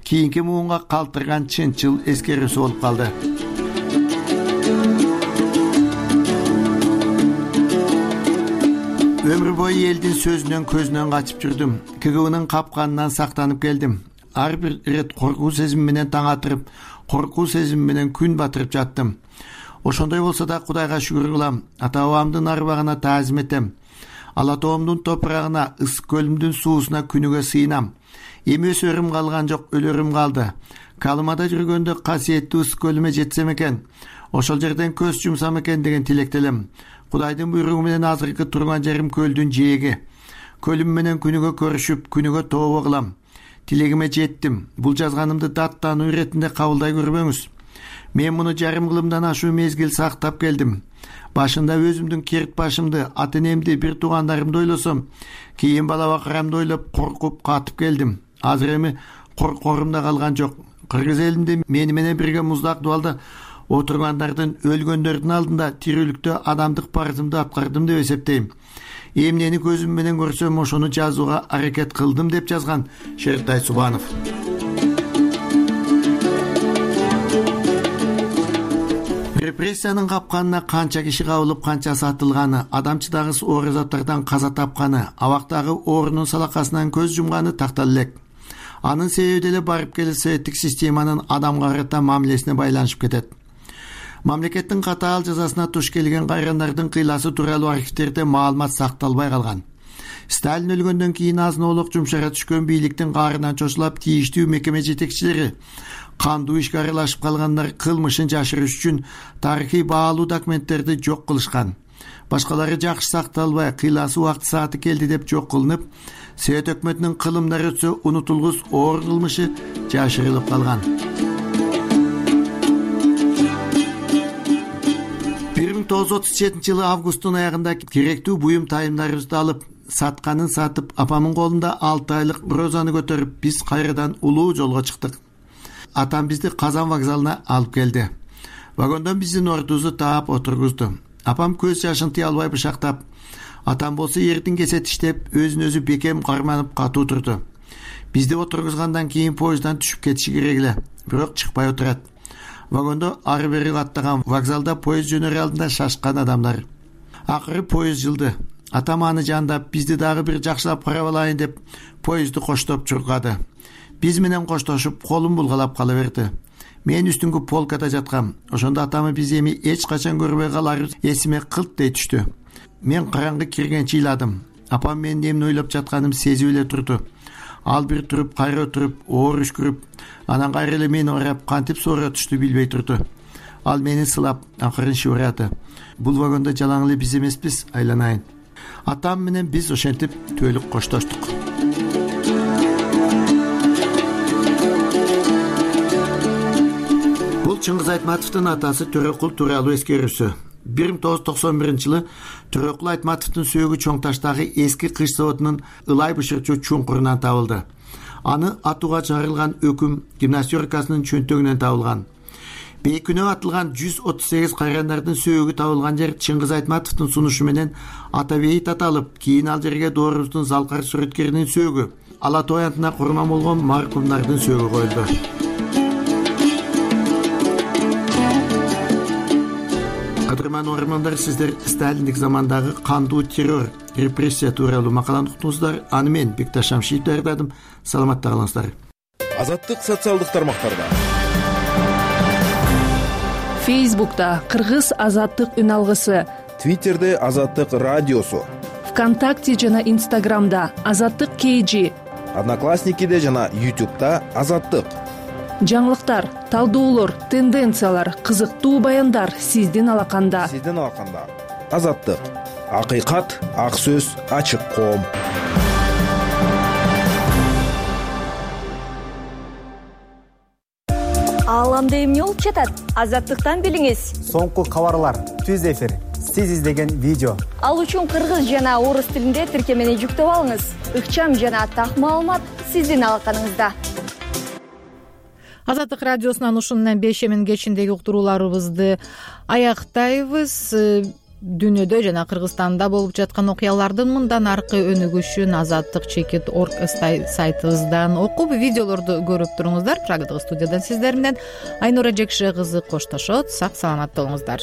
кийинки муунга калтырган чынчыл эскерүүсү болуп калды. Өмүр бою элдин сөзүнөн көзүнөн качып жүрдүм. КГБнын капканынан сактанып келдим. Ар бир ирет коркуу сезими менен таң атырып, коркуу сезими менен күн батырып жаттым. Ошондой болсо да Кудайга шүгүр кылам. Ата бабамдын арбагына таазим этем. Ала тоомдун топурагына, ысык көлүмдүн суусуна күнүгө сыйынам. Эми өсөрүм калган жок, өлөрүм калды. Калымада жүргөндө касиеттүү ысык көлүмө жетсем экен, ошол жерден көз жумсам экен деген тилектелем. Кудайдын буйругу менен азыркы турган жерим көлдүн жээги. Көлүм менен күнүгө көрүшүп, күнүгө тообо кылам. Тилегиме жеттим. Бул жазганымды даттануу иретинде кабылдай көрбөңүз. Мен муну жарым кылымдан ашуу мезгил сактап келдим. Башында өзүмдүн керт башымды, ата энемди, бир туугандарымды ойлосом, кийин бала бакырамды ойлоп коркуп катып келдим. Азыр эми коркорум да калган жок. Кыргыз элинде мени менен бирге муздак дубалда отургандардын, өлгөндөрдүн алдында тирүүлүктө адамдык парызымды аткардым деп эсептейм. Эмнени көзүм менен көрсөм, ошону жазууга аракет кылдым деп жазган Шертай Субанов. Репрессиянын капканына канча киши кабылып, канчасы атылганы, адамчыдагы оор заттардан каза тапканы, абактагы оорунун салакасынан көз жумганы тактала элек. Анын себеби деле барып келе советтик системанын адамга карата мамилесине байланышып кетет. Мамлекеттин катаал жазасына туш келген кайрандардын кыйласы тууралуу архивтерде маалымат сакталбай калган. Сталин өлгөндөн кийин азын-оолук жумшара түшкөн бийликтин каарынан чочулап, тийиштүү мекеме жетекчилери, кандуу ишке аралашып калгандар кылмышын жашырыш үчүн тарыхый баалуу документтерди жок кылышкан. Башкалары жакшы сакталбай, кыйласы убакыт сааты келди деп жок кылынып, Совет өкмөтүнүн кылымдары өтсө унутулгус оор кылмышы жашырылып калган. 1937-жылы августтун аягында керектүү буюм тайымдарыбызды алып, сатканын сатып, апамын колунда 6 айлык розаны көтөрүп, биз кайрадан улуу жолго чыктык. Атам бизди Казан вокзалына алып келди. Вагондон биздин ордубузду таап отургузду. Апам көз жашын тыя албай бышактап, атам болсо эрдин кесе тиштеп, өзүн өзү бекем карманып катуу турду. Бизди отургузгандан кийин поезддан түшүп кетиши керек эле, бирок чыкпай отурат. Вагондо ары бери каттаган, вокзалда поезд жөнөр алдында шашкан адамдар. Акыры поезд жылды. Атам аны жандап, бизди дагы бир жакшылап карап алайын деп поездди коштоп чуркады. Биз менен коштошуп, колун булгалап кала берди. Мен үстүнгү полкада жаткам. Ошондо атамы биз эми эч качан көрбөй каларыбыз эсиме кылт дей түштү. Мен караңгы киргенче ыйладым. Апам менин эмне ойлоп жатканымды сезип эле турду. Ал бир туруп, кайра туруп, оор үшкүрүп, анан кайра эле мени карап, кантип суура түштү билбей турду. Ал мени сылап, акырын шыбырады. Бул вагондо жалаң эле биз эмеспиз, айланайын. Атам менен биз ошентип түөлүк коштоштук. Бул Чыңгыз Айтматовдун атасы Төрөкул тууралуу эскерүүсү. 1991-жылы Төрөкул Айтматовдун сөөгү Чоң Таштагы эски кыш заводунун ылай бышырчу чуңкурунан табылды. Аны атууга чыгарылган өкүм гимнастеркасынын чөнтөгүнөн табылган. Бейкүнөө атылган 138 кайрандардын сөөгү табылган жер Чыңгыз Айтматовдун сунушу менен Атабейит аталып, кийин ал жерге Доорубуздун залкар сүрөткеринин сөөгү, Ала Тоо аянтына курман болгон маркумдардын сөөгү коюлду. Кадырман ормандар, сиздер Сталиндик замандагы кандуу террор, репрессия тууралуу макаланы уктуңуздар. Аны мен Бекташ Шамшиев даярдадым. Саламатта калыңыздар. Азаттык социалдык тармактарда. Фейсбукта Кыргыз азаттык үн алгысы, Твиттерде Азаттык радиосу, ВКонтакте жана Инстаграмда Азаттык KG, Одноклассникиде жана YouTube'да Азаттык. жаңылыктар, талдоолор, тенденциялар, кызыктуу баяндар сиздин алаканда. Азаттык. Акыйкат, ак сөз, ачык коом. Ааламда эмне болуп жатат? Азаттыктан билиңиз. Соңку кабарлар, түз эфир, сиз издеген видео. Ал үчүн кыргыз жана орус тилинде тиркемени жүктөп алыңыз. Ыкчам жана так маалымат сиздин алаканыңызда. Азаттык радиосунан ушунун бешемин кечиндеги уктурууларыбызды аяктайбыз. Дүйнөдө жана Кыргызстанда болуп жаткан окуялардын мындан аркы өнүгүшүн azattik.org сайтыбыздан окуп, видеолорду көрүп туруңуздар. Прагадагы студиядан сиздер менен Айнура Жекше кызы коштошот. Сак саламатта болуңуздар.